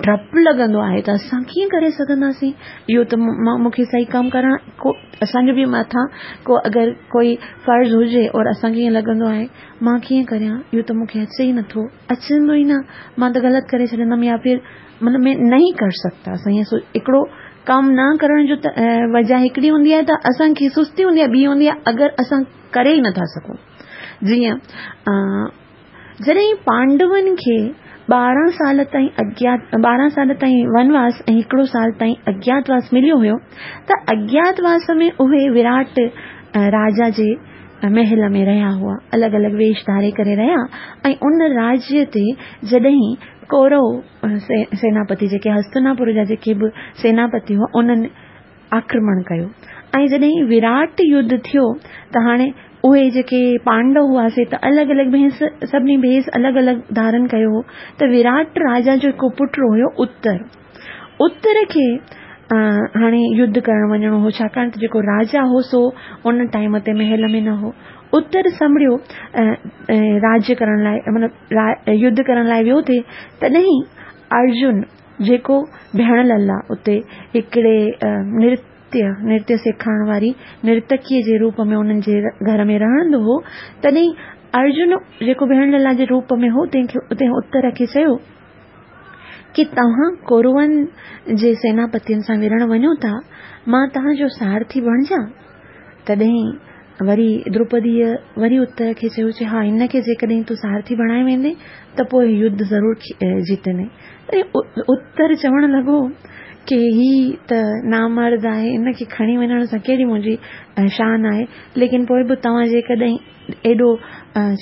ڊپ لڳندو آهي ته اسان ڪيئن ڪري سگهنداسين، اهو ته مون کي صحيح ڪم ڪرڻ ڪو اسان جو به مٿان ڪو اگر ڪوئي فرض هجي اور اسان کي ائين لڳندو آهي مان ڪيئن ڪريان، اهو ته مون کي اچي ئي نٿو. اچندو ئي نه، مان ته غلط ڪري ڇڏيندم يا ڦر مطلب مين نهين ڪر سگتا. اسان ائين سوچ هڪڙو ڪم نه ڪرڻ جو ته وجه هڪڙي هوندي آهي ته اسان کي سستي هوندي آهي، ٻي هوندي آهي اگر اسان ڪري ئي نٿا سگهون. جيئن جڏهن پانڊون کي 12 سال تائين اگيات 12 سال تائين ونواس ۽ هڪڙو سال تائين اگياتواس مليو هيو ته اگياتواس ۾ اهي وراٽ راجا جي محل ۾ رهيا هئا، الڳ الڳ ويش ڌاري ڪري رهيا ۽ ان راجيه تي جڏهن ڪورو سيناپتي جيڪي هستناپور جا جيڪي به سيناپتي هئا انهن آڪرمڻ ڪيو ۽ جڏهن وراٽ يڌ ٿيو ته هاڻي اهي جيڪي پانڊو هئا سي ته الڳ الڳ ڀيس سڀني ڀيس الڳ الڳ ڌارن ڪيو هو ته وراٽ راجا جو هڪ پٽ هيو اتر، اتر کي هاڻي يڌ ڪرڻ وڃڻو هو، ڇاڪاڻ ته جيڪو راجا هو سو ان ٽائيم تي محل ۾ نه هو. اتر سنڀڙيو راڄ ڪرڻ لاء مطلب يڌ ڪرڻ لاء ويو ٿي، تڏهن ارجن جيڪو ڀيڻ للا اتي هڪڙي نرتيه نرتيه سيکارڻ واري نرتڪيء جي روپ ۾ انهن جي گهر ۾ رهندو هو، تڏهن ارجن جيڪو ڀيڻ للا جي روپ ۾ هو تنهن کي تنهن اتر کي چيو، ڪي توهان ڪورون جي سيناپتين سان وڙهڻ وڃو ٿا، مان توهان جو سارٿي بڻجان؟ تڏهن وري دروپديء وري اتر کي چيو، چي ها، هن کي جيڪڏهن تون سارٿي بڻائي ويندين ته پوء يڌ ضرور جيتندين. تڏهن اتر چوڻ لڳو ڪي هي ته نامرد آهي، هن کي کڻي وڃڻ سان ڪهڙي منهنجي شان آهي، ليڪن پوء به توهان جيڪڏهن ايڏو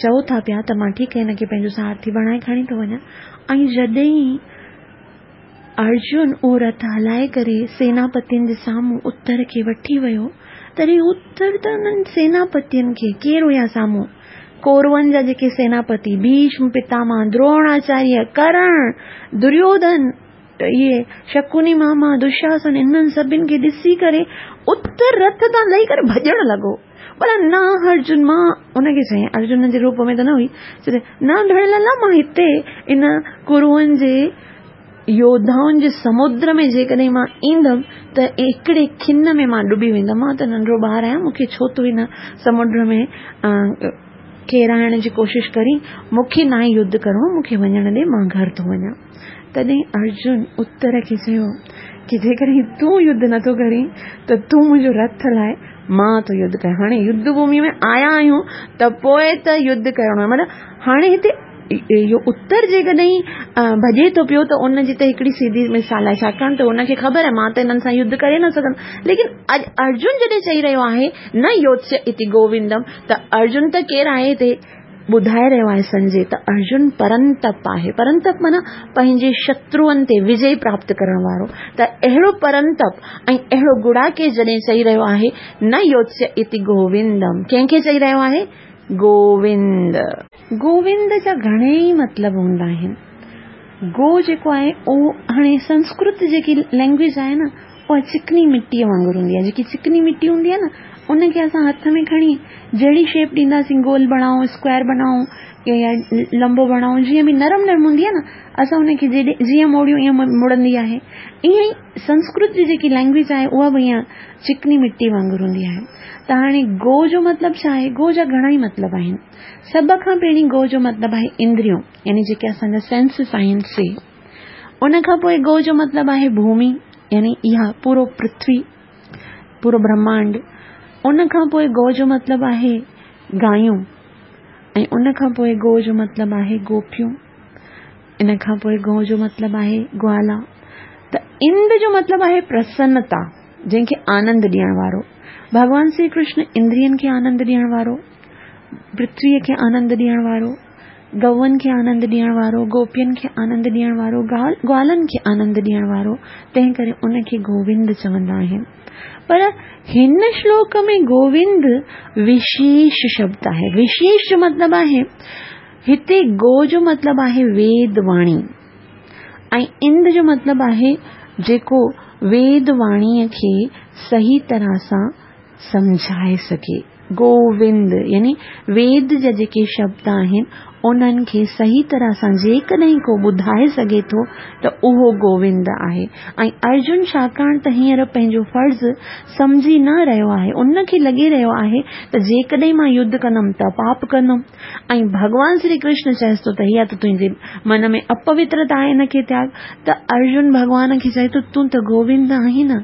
چئو ٿا پيا ته مان ٺيڪ هن کي پنهنجو سارٿي بڻائي کڻي ٿو وڃان. ۽ جڏهن ارجن اهو رٿ هلائي ڪري سيناپتين جي سامهون اتر کي وٺي ويو، تڏهن اتر ته انهن سيناپتين کي، ڪير هيا سامهون؟ ڪورون جا جيڪي سيناپتي، ڀيشم پتاماه، دروناچاريه، ڪرڻ، دريوڌن، اهي شڪوني ماما، دشاسن، انهن سڀن کي ڏسي ڪري اتر رٿ تان لهي ڪري ڀڄڻ لڳو. پر نه ارجن، مان ان کي چيائين، ارجن جي روپ ۾ ته نه هئي، چئي نه ڀيڻ لالا، مان هتي ان ڪورون جي يوڌائن جي سمنڊ ۾ جيڪڏهن مان ايندم ته هڪڙي کن ۾ مان ڏبي ويندم. مان ته ننڍڙو ٻار آهيان، مون کي ڇو تون هن سمنڊ ۾ ڪيرائڻ جي ڪوشش ڪرين؟ مون کي ناهي يڌ ڪرڻو، مون کي وڃڻ ڏي، مان گهر ٿو وڃان. تڏهن ارجن اتر کي چيو ڪي جيڪڏهن تون يڌ نٿو ڪرين ته تون منهنجو رٿ هلائي، مان ٿو يڌ ڪيان. هاڻي يڌ ڀومي ۾ آيا آهيون ته پوء ته يڌ ڪرڻو آهي. مطلب هاڻي هتي اهو اتر جيڪڏهن ڀڄي ٿو پيو ته ان جي ته هڪڙي سيڌي مثال آهي، ڇاڪاڻ ته هن کي خبر آهي مان ته هنن سان يڌ ڪري نه سگهندم. ليڪن اڄ ارجن جڏهن چئي رهيو آهي نه يوتسيه اتي گووندم، ته ارجن ته ڪير آهي هتي ٻڌائي رهيو آهي سنجي ته ارجن پرنتپ آهي. پرنتپ معنيٰ پنهنجي شتروئن تي وجي پراپت ڪرڻ وارو. ته اهڙو پرنتپ ۽ اهڙو گڙاڪيش جڏهن چئي رهيو آهي نه يوتسيه اتي گووندم، ڪنهن کي چئي رهيو آهي؟ گووند. گووند جا گهڻيئي مطلب هوندا آهن. گو جيڪو آهي اهو هاڻي سنسڪرت جيڪي لينگويج آهي نه اها چڪني مٽيء وانگر هوندي آهي. جيڪي چڪني مٽي هوندي آهي نه ان کي اسان هٿ ۾ کڻي جهڙي شيپ ڏينداسين گول بڻائون، اسڪوائر بڻائون يا لمبو بڻائون، جيئن به نرم نرم هوندي آهي نه اسان ان کي جيئن موڙيون ائين مڙندي آهي. ائين ئي سنسڪرت جي جيڪي لينگويج آهي اها به ائين چڪني مٽي وانگر هوندي آهي. ته هاڻي گو جو مطلب ڇا آهي؟ گو جا گهڻا ئي مطلب آهن. سڀ کان پهرين گو جو مطلب آهي اندريون، يعني جيڪي اسان جا سينسز آهن سي. ان کان پوء گو جو مطلب آهي ڀومي، يعني اها پورو پرٿوي، پورو برهمانڊ. ان کان پوء گو جو مطلب آهي گايون، ۽ ان کان پوء گو جو مطلب آهي گوپيون. ان کان پوء گو جو مطلب آهي گوالا. ته اند جو مطلب آهي پرسنتا، جنهن کي آنند ڏيڻ وارو. ڀڳوان شري ڪرشن اندرين کي آنند ڏيڻ وارو، پرٿويء کي آنند ڏيڻ وارو، گئون کي آنند ڏيڻ وارو، گوپين کي آنند ڏيڻ وارو، گوالن کي آنند ڏيڻ وارو، تنهن ڪري ان کي گووند چوندا آهن. پر هن شلوڪ ۾ گووند وشيش شبد آهي. وشيش جو مطلب آهي هتي گو جو مطلب آهي ويد واڻي ۽ اند جو مطلب آهي جيڪو ويد واڻيء کي صحيح طرح سان سمجهائي سگهي. گووند يعني ويد جا جيڪي شبد آهن انهن کي صحيح طرح سان جيڪڏهن ڪو ٻڌائي سگهي ٿو ته اهو گووند آهي. ۽ ارجن ڇاڪاڻ ته هينئر پنهنجو فرض سمجهي نه رهيو آهي، ان کي لڳي رهيو آهي ته جيڪڏهن مان يڌ ڪندم ته پاپ ڪندم. ۽ ڀڳوان شري ڪرشن چئيس ٿو ته اها ته تنهنجي من ۾ اپوترتا آهي ان کي تياڳ. ته ارجن ڀڳوان کي چئي ٿو تون ته گووند آهين نه،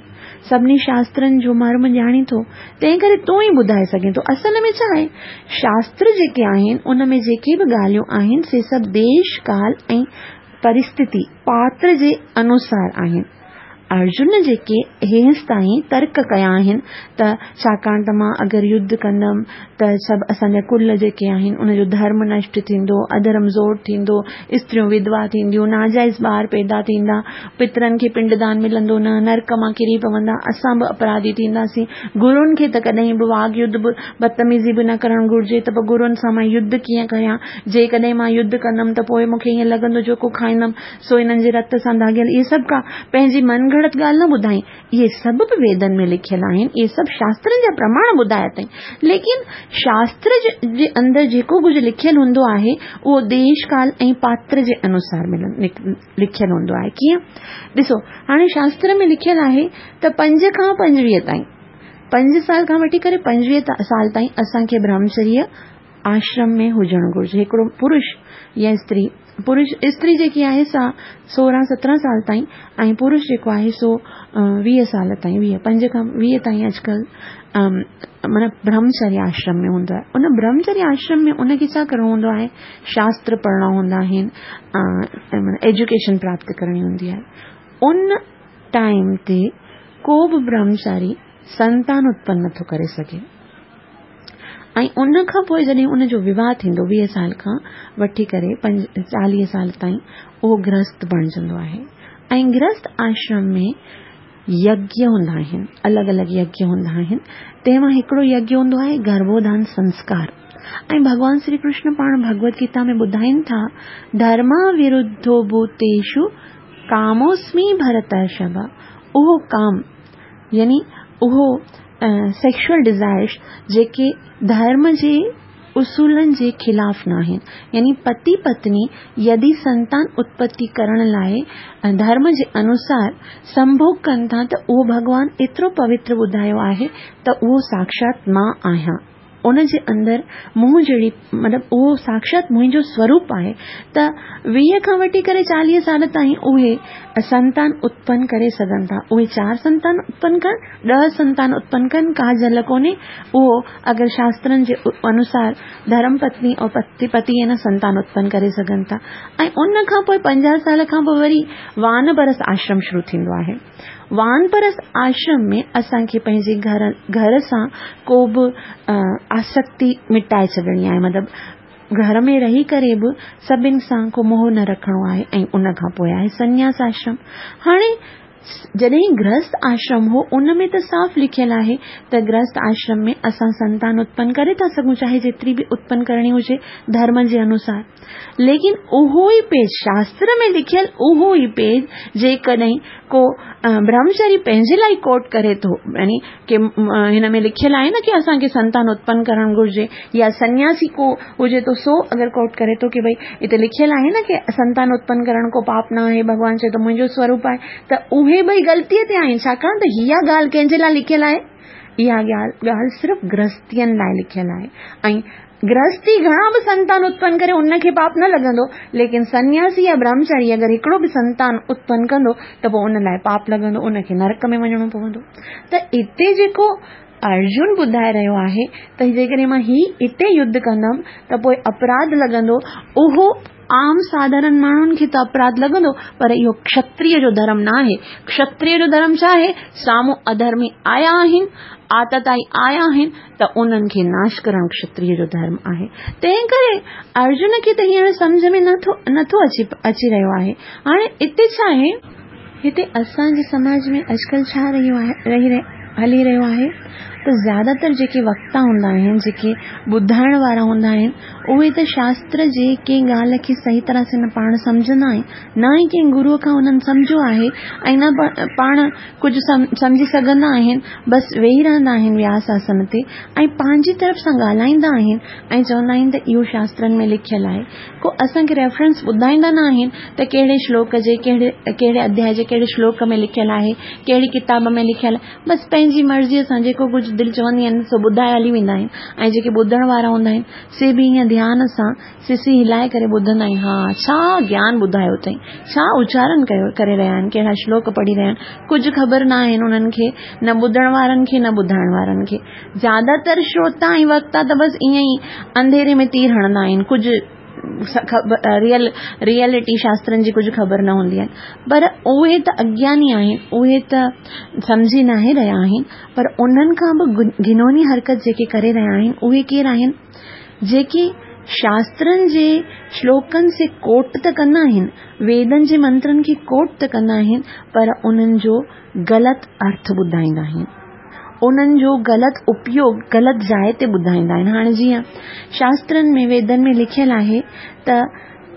سڀني شاسترن جو مرم ڄاڻين ٿو، تنهن ڪري تون ئي ٻڌائي سگهين ٿو. اصل ۾ ڇا آهي، شاستر جيڪي آهن ان ۾ جيڪي به ڳالهيون آهن سي سڀ ديش، ڪال ۽ پرستتي، پاتر جي انوسار آهن. ارجن جيڪي هيستائين ترڪ ڪيا آهن ته ڇاڪاڻ ته مان اگر يڌ ڪندم ته سڀ اسان جا ڪل جيڪي آهن ان جو ڌرم نشٽ ٿيندو، اڌرم زور ٿيندو، استريون وڌوا ٿينديون، ناجائز ٻار پيدا ٿيندا، پترن کي پنڊدان ملندو نه، نرڪ مان ڪري پوندا، اسان به اپراڌي ٿينداسين، گرن کي ته ڪڏهن به واڳ يڌ به بدتميزي به نه ڪرڻ گهرجي ته پوء گرن سان مان يڌ ڪيئن ڪريان، جيڪڏهن مان يڌ ڪندم ته پوء مون کي ائين لڳندو جيڪو کائيندم سو انهن جي رت سان داغيل. اهي سڀ ڪا پنهنجي من گهڙت ڳالهه نه ٻڌائين. اهي سڀ به ويدن ۾ لکيل آهن. اهي سڀ شاسترن جا پرماڻ ٻڌايا اٿائين. ليڪن شاستر جي اندر جيڪو ڪجهه لکيل هوندو آهي اهو ديش ڪال ۽ پاتر جي انوسار لکيل هوندو آهي. ڪيئن؟ ڏسو هاڻي شاستر ۾ لکيل آهي ته 5 کان 25 تائين، 5 سال کان وٺي ڪري 25 سال تائين اسان کي برهمچريه آشرم ۾ هجڻ گهرجي. هڪڙو پرش يا استري، پرش استري جيڪي آهي سا 16 17 سال تائين ۽ پرش جيڪو آهي سو 20 سال تائين، ويهه، پنج کان 20 تائين اڄڪلهه معنيٰ برهمچريه آشرم ۾ هوندو آهي. ان برهمچريه آشرم ۾ ان کي ڇا ڪرڻو هوندو آهي؟ شاستر پڙهڻا هوندا آهن، معنيٰ ايجوڪيشن پراپت ڪرڻي هوندي آهي. ان ٽائيم تي ڪو به برهمچاري سنتان اتپن نٿو ڪري سگهي ۽ ان کان پوء جڏهن ان جو وواهه ٿيندو 20 سال کان وٺي ڪري 40 سال تائين اهو گرهست بڻجندو آهي ۽ گرهست آشرم ۾ يگيه هوندا آهن، الڳ الڳ يگيه هوندا آهن. تنهن مان هڪڙو يگيه هوندو آهي گرڀوڌان سنسڪار ۽ ڀڳوان شري ڪرشن پاڻ ڀڳوت گيتا ۾ ٻڌائين ٿا ڌرما ورڌو ڀوتيشو ڪاموسمي ڀرترشڀ، اهو ڪام يعني اهو سيڪشوئل ڊزائرس جيڪي ڌرم جي اصولن جي خلاف ناهن. يعني پتي پتني يدي سنتان اتپتي ڪرڻ لاء ڌرم جي انوسار سنڀوگ ڪن ٿا ته اهو ڀڳوان ايترو پوتر ٻڌايو آهي ته اهو ساڪشات مان آهيان. ان جي اندر مون جهڙي مطلب اهو ساڪشات منهنجو سوروپ آهي ته 20 کان وٺي ڪري 40 سال تائين اهي سنتان اتپن ڪري سگهن ٿا. اهي 4 سنتان اتپن ڪن، 10 سنتان اتپن ڪن، ڪا جل ڪونهي. اهو اگر شاسترن جي انوسار ڌرم پتني اور پتي پتي نه سنتان اتپن ڪري سگهن ٿا. ۽ ان کان پوء 50 سال کان پوء وري وانپرست آشرم شروع ٿيندو آهي. وانپرست آشرم ۾ اسان کي پنهنجي گهر گهر سان ڪو به آسڪتي مٽائي ڇڏڻي آهي، مطلب گهر ۾ رهي ڪري به سڀن سان ڪو موهه نه رکڻو آهي. ۽ ان کان پوء آهي سنياس آشرم. هاڻي جڏهن گرهست آشرم هو ان ۾ ته صاف لکيل آهي ته گرهست آشرم ۾ اسان سنتان اتپن ڪري ٿا سگهون، چاهي جيتري به اتپن ڪرڻي هجي ڌرم جي انوسار. ليڪن اهو ئي پيج شاستر ۾ لکيل اهو ئي پيج جيڪڏهن ڪو برهمچاري پنهنجي لاء ڪوٽ ڪري ٿو، يعني ڪي هن ۾ لکيل آهي نه ڪي اسان کي سنتان اتپن ڪرڻ گهرجي، يا سنياسي ڪو هجي ٿو سو اگر ڪوٽ ڪري ٿو ڪي ڀئي هتي لکيل آهي نه ڪي سنتان اتپن ڪرڻ ڪو پاپ نه آهي، ڀڳوان چئي ٿو منهنجو سوروپ آهي، ته اهي ٻئي غلطيء تي آهن. ڇاڪاڻ ته اها ڳالهه ڪنهن جي لاء لکيل آهي؟ اها ڳالهه صرف گرهستين لاء لکيل آهي. ۽ گرهستي گهڻا به سنتان اتپن ڪري ان کي پاپ نه لڳندو، ليڪن سنياسي يا برهمچاري اگر هڪڙو به سنتان اتپن ڪندو ته پوء ان لاء پاپ لڳندو، ان کي نرڪ ۾ وڃڻو پوندو. ته اتي جيڪو ارجن ٻڌائي رهيو آهي ته جيڪڏهن مان هي اتي يڌ ڪندم ته پوء اپراڌ لڳندو، اهو عام ساڌارن ماڻهن کي ته اپراڌ لڳندو، پر اهو کشتريه جو ڌرم نه آهي. کشتريه جو ڌرم ڇا آهي؟ سامهون اڌرمي آيا آهن، آتتائي آيا آهن ته انهن کي ناش ڪرڻ کشتريه جو ڌرم آهي. تنهن ڪري ارجن کي ته هينئر سمجهه ۾ نٿو اچي رهيو آهي. هاڻي اتي ڇا آهي؟ هتي اسان جي سماج ۾ اڄڪلهه ڇا رهيو آهي رهي هلي رهيو آهي ته زياده تر جيڪي وڪتا هوندا آهن، جيڪي ٻڌائڻ وارا هوندا آهن، اهي ته شاستر جي ڪنهن ڳالهه کي صحيح طرح سان نه پاڻ سمجهندا آهن، نه ئي ڪنهن گروء کان انهن سمجهيو آهي ۽ نه پاڻ ڪجهه سمجهي سگهندا آهن، بس ويهي رهندا آهن وياس آسن تي ۽ پنهنجي طرف سان ڳالهائيندا آهن ۽ چوندا آهن ته اهو شاسترن ۾ لکيل آهي. ڪو اسان کي ريفرنس ٻڌائيندا نه آهن ته ڪهڙي شلوڪ جي ڪهڙي ڪهڙي اڌياء جي ڪهڙي شلوڪ ۾ لکيل آهي، ڪهڙي ڪتاب ۾ لکيل آهي. بس پنهنجي مرضيء سان جيڪو ڪجهه دل چوندي آهن سو ٻڌائي هلي ويندا آهن ۽ جيڪي ٻڌڻ وارا هوندا آهن سي به ائين ڌيان سان سسي هلائي ڪري ٻڌندا آهن، ها ڇا گيان ٻڌايو اٿئي، ڇا اچارن ڪيو ڪري رهيا آهن، ڪهڙا شلوڪ پڙهي رهيا آهن، ڪجهه خبر نه آهن انهن کي، نه ٻڌڻ وارن کي نه ٻڌائڻ وارن کي. زياده تر شروتا ۽ وڪتا ته بس ائين ئي انڌيري ۾ تير هڻندا آهن، ڪجهه ريئل ريئلٽي شاسترن جي ڪجهه خبر نه هوندي آهن، پر اهي ته اگياني آهن، اهي ته سمجهي ناهي رهيا آهن، پر انهن کان به گهنوني حرڪت جيڪي ڪري رهيا آهن اهي ڪير آهن؟ جيڪي شاسترن جي شلوڪن سي ڪوٽ ته ڪندا آهن، ويدن جي منترن کي ڪوٽ ته ڪندا آهن، پر انهن جو غلط ارٿ ٻڌائيندا آهن. انهن جو غلط اپيوگ غلط جاء تي ٻڌائيندا آهن. هاڻي جيئن شاسترن ۾ ويدن ۾ لکيل آهي ته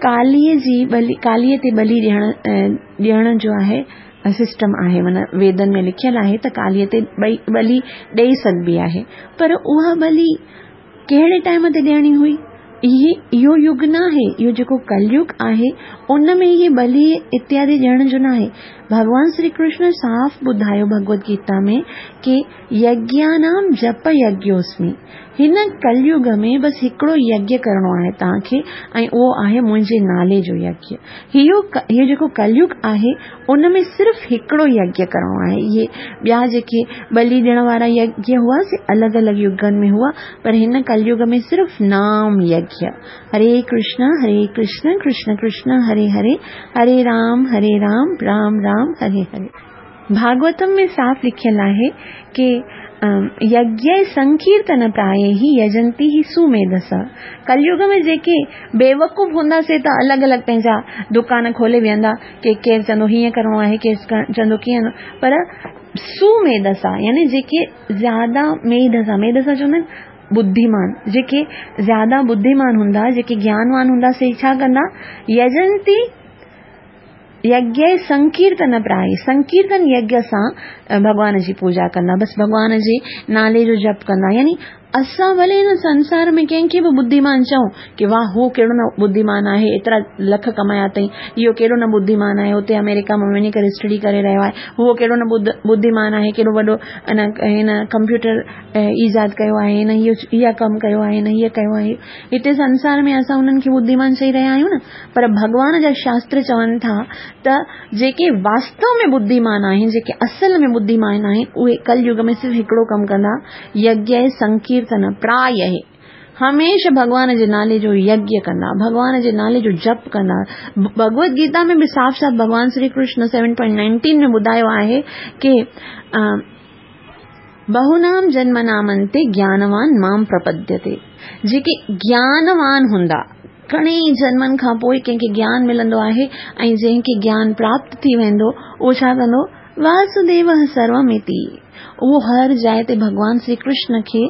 ڪاليء جي ٻلي ڪاليء تي ٻلي ڏيڻ ڏيڻ جو آهي سسٽم آهي معنيٰ ويدن ۾ لکيل آهي ته ڪاليء تي ٻئي ٻلي ڏيئي سگهبي آهي، پر اها ٻلي ڪهڙي ٽائيم تي ڏيڻي هئي؟ اهي اهو يگ ناهي، اهو جيڪو ڪليگ آهي ان ۾ اهي ٻلي اتيادي ڏيڻ جو ناهي. ڀڳوان شري ڪرشن صاف ٻڌايو ڀڳوت گيتا ۾ ڪي يگيانام جپ يگيوسمي، هن ڪليگ ۾ بس هڪڙو يگيه ڪرڻو آهي توهان کي ۽ اهو آهي منهنجي نالي جو يگيه. اهو اهو جيڪو ڪليگ آهي ان ۾ صرف هڪڙو يگيه ڪرڻو آهي. اهي ٻيا جيڪي ٻلي ڏيڻ وارا يگيه هئا سي الڳ الڳ يگن ۾ هئا، پر هن ڪليگ ۾ صرف نام يگيه، هري ڪرشن هري ڪرشن ڪرشن ڪرشن هري هري، هري رام هري رام رام رام هري هري. ڀاڳوتم ۾ صاف لکيل آهي ڪي يگيه سنڪيرتن پرايه يجنتي هي سوميڌس. ڪليگ ۾ جيڪي بيوقوف هوندا سي ته الڳ الڳ پنهنجا دڪان کولي ويهندا، ڪي ڪير چوندو هيئن ڪرڻو آهي، ڪير چوندو ڪيئن، پر سوميڌسا يعني جيڪي زياده ميڌسا، ميڌسا چوندا آهن ٻڌيمان، جيڪي زياده ٻڌيمان هوندا، جيڪي گيانوان هوندا سي ڇا ڪندا، يجنتي يگيه سنڪيرتن پرائي، سنڪيرتن يگيه سان ڀڳوان جي پوڄا ڪندا، بس ڀڳوان جي نالي جو جپ ڪندا، يعني اسان ڀلي هن سنسار ۾ ڪنهن کي به ٻڌيمان چئون ڪي واهه هو ڪهڙو نه ٻڌيمان آهي، ايترا لک ڪمايا اٿئي، اهو ڪهڙو نه ٻڌيمان آهي، اتي آمريڪا ۾ وڃي ڪري اسٽڊي ڪري رهيو آهي، هو ڪهڙو نه ٻڌيمان آهي، ڪيڏو وڏو هن ڪمپيوٽر ايجاد ڪيو آهي، هن اها ڪم ڪيو آهي، هن هيء ڪيو آهي. هتي سنسار ۾ اسان انهن کي ٻڌيمان چئي رهيا آهيون نه، پر ڀڳوان جا شاستر چون ٿا ته جيڪي واستو ۾ ٻڌيمان آهن، جيڪي اصل ۾ ٻڌيمان آهن، اهي ڪل يگ ۾ صرف هڪڙو ڪم ڪندا، يگيه سنڪيرتن پرايه، هميشه ڀڳوان جي نالي جو يگيه ڪندا، ڀڳوان جي نالي جو جپ ڪندا. ڀڳوت گيتا ۾ به صاف صاف ڀڳوان شري ڪرشن 7.19 ۾ ٻڌايو آهي ڪي بهونام جنمنامنتي گيانوان مام پرپديتي، جيڪي گيانوان هوندا، گهڻي ئي جنمن کان پوء ڪنهن کي گيان ملندو آهي ۽ جنهن کي گيان پراپت ٿي ويندو اهو ڇا ڪندو؟ واسوديوه سروم اتي، اهو هر جاء تي ڀڳوان شري ڪرشن کي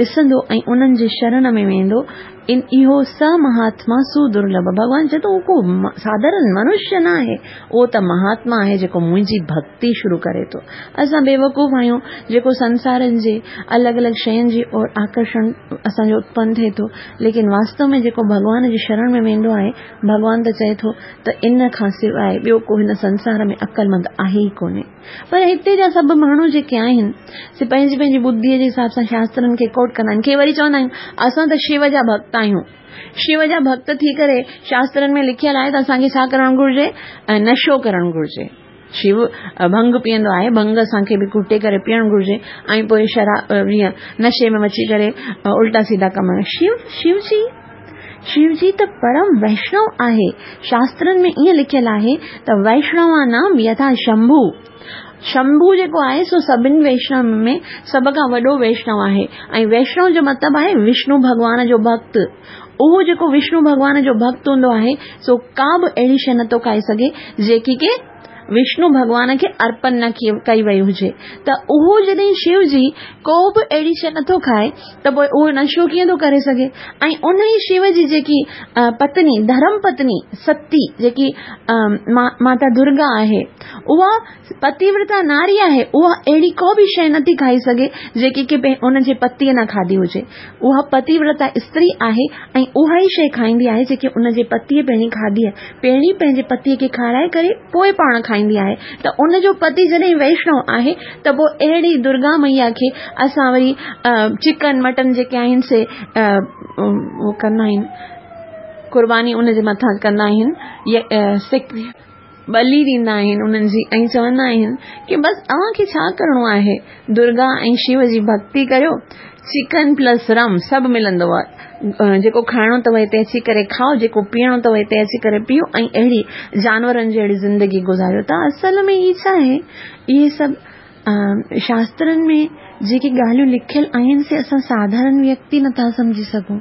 ڏسندو ۽ انهن جي شرڻ ۾ ويندو ان اهو س مهاتما سودرلڀ، ڀڳوان چئي ٿو اهو ڪو ساڌارڻ منشيه نه آهي، اهو ته مهاتما آهي جيڪو منهنجي ڀڳتي شروع ڪري ٿو. اسان بيوقوف آهيون جيڪو سنسارن جي الڳ الڳ شين جي اور آڪرشڻ اسان جو اتپن ٿئي ٿو، ليڪن واستو ۾ جيڪو ڀڳوان جي شرڻ ۾ ويندو آهي، ڀڳوان ته چئي ٿو ته ان کان سواء ٻيو ڪو هن سنسار ۾ عقلمند آهي ئي ڪونهي. پر هتي جا سڀ ماڻهو جيڪي آهن سي پنهنجي پنهنجي ٻڌيء جي حساب سان شاسترن کي ڪوٽ ڪندا آهن. ڪي وري چوندا آهن اسان ته شو جا ڀڳت آهيون. شو جا ڀڳت ٿي ڪري شاسترن ۾ لکيل آهي ته اسان کي ڇا ڪرڻ گهرجي؟ نشو ڪرڻ گهرجي. شو ڀنگ پيئندو آهي، ڀنگ اسان کي به گهٽي ڪري پيئڻ گهرجي ۽ پوء شراب ائين نشي ۾ اچي ڪري الٽا سيڌا ڪم. شو شو جي شو جي ته پرم ويشنو آهي. شاسترن ۾ ائين لکيل آهي ته ويشنوانام يٿا شمڀو. شمڀو جيڪو آهي سو سڀن ويشنون ۾ سڀ کان وڏو ويشنو آهي ۽ ويشنو جو مطلب آهي وشنو ڀڳوان جو ڀڳت. اهو جيڪو وشنو ڀڳوان جو ڀڳت هوندو آهي سو ڪا به اهڙي شيء نٿو کائي سگهي جيڪي ڪي وشنو ڀڳوان کي ارپن نه ڪئي وئي هجي ته اهو جڏهن شو جي ڪو به اهڙي شيء نٿو کائي ته پوء اهو نشو ڪيئن ٿو ڪري سگهي ۽ ان ئي شو جي جيڪي پتني ڌرم پتني ستي جيڪي ماتا درگا آهي اها پتيورتا ناري آهي اها اهڙي ڪو به شيء نٿي کائي سگهي جيڪي ڪي ان جي پتيء نه کاڌي هجي اها پتيورتا استري آهي ۽ اها ئي شيء کائيندي آهي جيڪي ان جي پتيء پهرين کاڌي آهي. پهرين پنهنجي پتيء کي کارائي ڪري پوء پاڻ کائيندي آهي ته ان جو پتي جڏهن ويشنو آهي ته پوء اهڙي درگا مئيا کي اسان وري چڪن مٽن جيڪي آهن سي اهو ڪندا آهن قرباني ان جي مٿان ڪندا آهن يا ٻلي ڏيندا آهن انهن جي ۽ چوندا آهن ڪي بس اوهان کي ڇا ڪرڻو آهي درگا ۽ شو جي ڀڳتي ڪريو چڪن پلس رم سڀ ملندو جيڪو کائڻو اٿو هتي اچي ڪري کائو جيڪو پيئڻو اٿو هتي اچي ڪري پيئو ۽ اهڙي جانورن جهڙي زندگي گذاريو ته اصل ۾ هي ڇا آهي اهي سڀ شاسترن ۾ جيڪي ڳالهيون لکيل آهن سي اسان ساڌارڻ ويڪتي نٿا سمجهي سگهون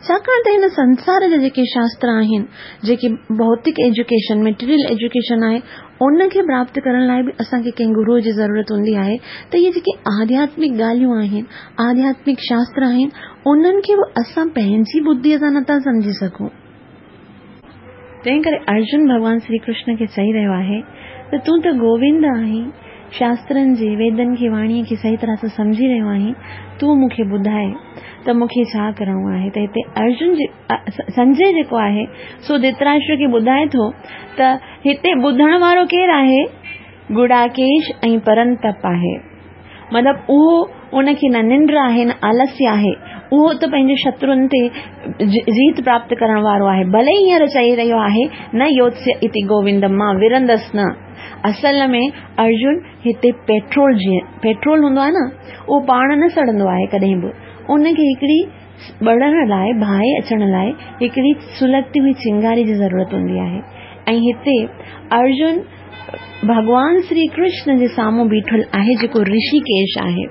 ڇاڪاڻ ته هن سنسار جا جيڪي شاستر آهن جيڪي ڀوتڪ ايجوڪيشن مٽيريل ايجوڪيشن آهي ان کي پراپت ڪرڻ لاء به اسان کي ڪنهن گروء جي ضرورت هوندي آهي ته اهي جيڪي آڌياتمڪ ڳالهيون آهن آڌياتمڪ شاستر آهن انهن کي به اسان پنهنجي ٻڌيء سان نٿا سمجهي سگهون تنهن ڪري ارجن ڀڳوان شري ڪرشن کي چئي رهيو آهي ته تون ته گووند آهين، شاسترن جي، ويدن کي، واڻيء کي صحيح طرح سان سمجهي رهيو آهين، تون مون کي ٻڌاء ته مون کي ڇا ڪرڻو آهي ته هتي ارجن جي سنجي جيڪو آهي سو ڌرتراشٽر کي ٻڌائي ٿو ته هتي ٻڌڻ وارو ڪير آهي؟ گڙاڪيش ۽ پرنتپ آهي. مطلب اهو ان کي نه ننڊ آهي نه آلسيه آهي، اهو ته پنهنجي شترن تي جيت پراپت ڪرڻ وارو آهي، ڀلي ئي هينئر چئي رهيو آهي نه يوتسيه اتي گووندم مان ورندس نه. اصل ۾ ارجن هتي پيٽرول جيئن پيٽرول هوندو آهي نه اهو پاڻ نه سڙندو آهي ڪڏهن به ان کي هڪڙي ٻرڻ لاء باهه اچڻ لاء هڪڙي سلگتي هئي چنگاري جي ضرورت هوندي آهي ۽ هتي ارجن ڀڳوان شري ڪرشن جي سامهون بيٺل آهي جيڪو رشيڪيش آهي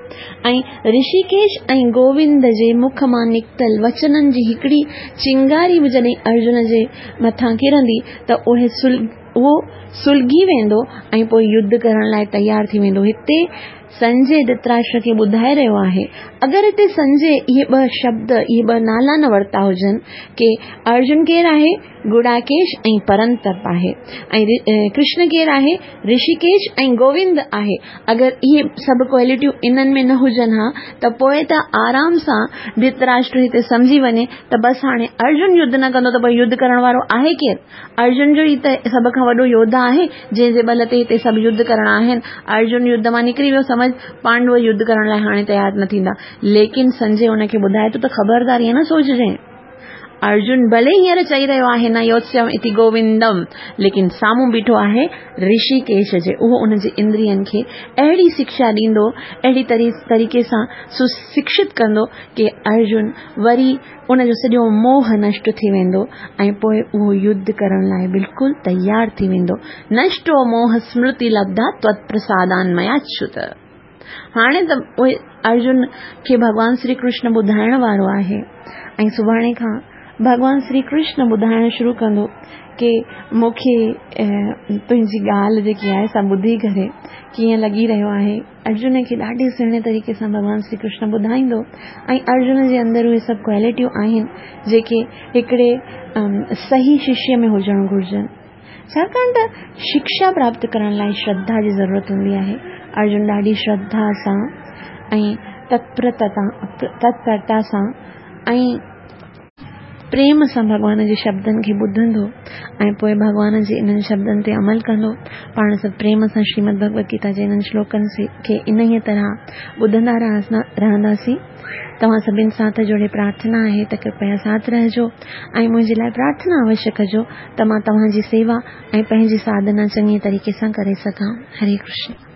۽ رشيڪيش ۽ گووند جي مک مان نڪتل وچنن جي هڪڙي چنگاري به جڏهن ارجن جي مٿان ڪرندي ته اهي اهو سلگي ويندو ۽ پوء يڌ ڪرڻ لاء تيار ٿي ويندو هتي سنجي ڌرتراشٽر کي ٻڌائي رهيو آهي. اگر هتي سنجي اهي ٻه شبد، اهي ٻه نالا نه ورتا هجن ڪي ارجن ڪير آهي؟ گڙاڪيش ۽ پرنتپ آهي ۽ ڪرشن ڪير آهي؟ رشيڪيش ۽ گووند آهي. اگر اهي سڀ ڪوالٽيون انهن ۾ نه هجن ها ته پوء ته آرام سان ڌرتراشٽر هتي سمجهي وڃي ته بس هاڻي ارجن يڌ نه ڪندو ته پوء يڌ ڪرڻ وارو آهي ڪير؟ ارجن جو ئي ته سڀ کان وڏو يوڌا آهي جنهن جي ٻل تي هتي سڀ يڌ ڪرڻا آهن. ارجن يڌ مان نڪري ويو سمجهه پانڊو يڌ ڪرڻ لاء هاڻي تيار نه ٿيندا. ليڪن سنجي ان کي ٻڌائي ٿو ته خبردار ائين نه سوچجانء. ارجن ڀلي هينئر چئي رهيو آهي نه يوتسيم اتي گووندم ليڪن سامهون بيٺو آهي رشيڪيش جي اهو ان جي اندرين کي اهڙي شکشا ڏيندو اهڙي طريقي سان سشڪشت ڪندو ڪي ارجن وري ان جو سڄو موهه نشٽ ٿي ويندو ۽ پوء اهو يڌ ڪرڻ لاء بلڪل تيار ٿي ويندو نشٽو موهه سمرتي لبڌا تود پرسادان ميا ڇت هاڻي ته اهي ارجن کي ڀڳوان شري ڪرشن ٻڌائڻ وارو آهي ۽ سڀاڻي کان ڀڳوان شري ڪرشن ٻڌائڻ شروع ڪندو ڪي مون کي تنهنجي ڳالهه جيڪي آهي سا ٻڌي ڪري ڪيئن لڳي رهيو آهي ارجن کي ڏاڍي سهڻي طريقي سان ڀڳوان شري ڪرشن ٻڌائيندو ۽ ارجن جي اندر اهي سڀ ڪوالٽيون آهن جيڪي هڪڙي صحيح ششيه ۾ هجڻ گهرجن ڇاڪاڻ ته شڪشا پراپت ڪرڻ لاء شرڌا جي ضرورت هوندي آهي. ارجن ڏاڍي شرڌا سان ۽ تتپرتا سان ۽ پريم سان ڀڳوان جي شبدن کي ٻڌندو ۽ پوء ڀڳوان جي انهن شبدن تي عمل ڪندو. پاڻ سڀ پريم سان شريمد ڀڳوت گيتا جي انهن شلوڪن کي انهيء طرح ٻڌندا رهنداسين. توهان سڀن سان هٿ جوڙي پرارٿنا آهي ته ڪرپيا ساٿ رهجو ۽ منهنجي لاء پرارٿنا اوشيه ڪجو ته مان توهان جي سيوا ۽ پنهنجي ساڌنا چڱي طريقي سان ڪري سگهان. هري ڪرشن.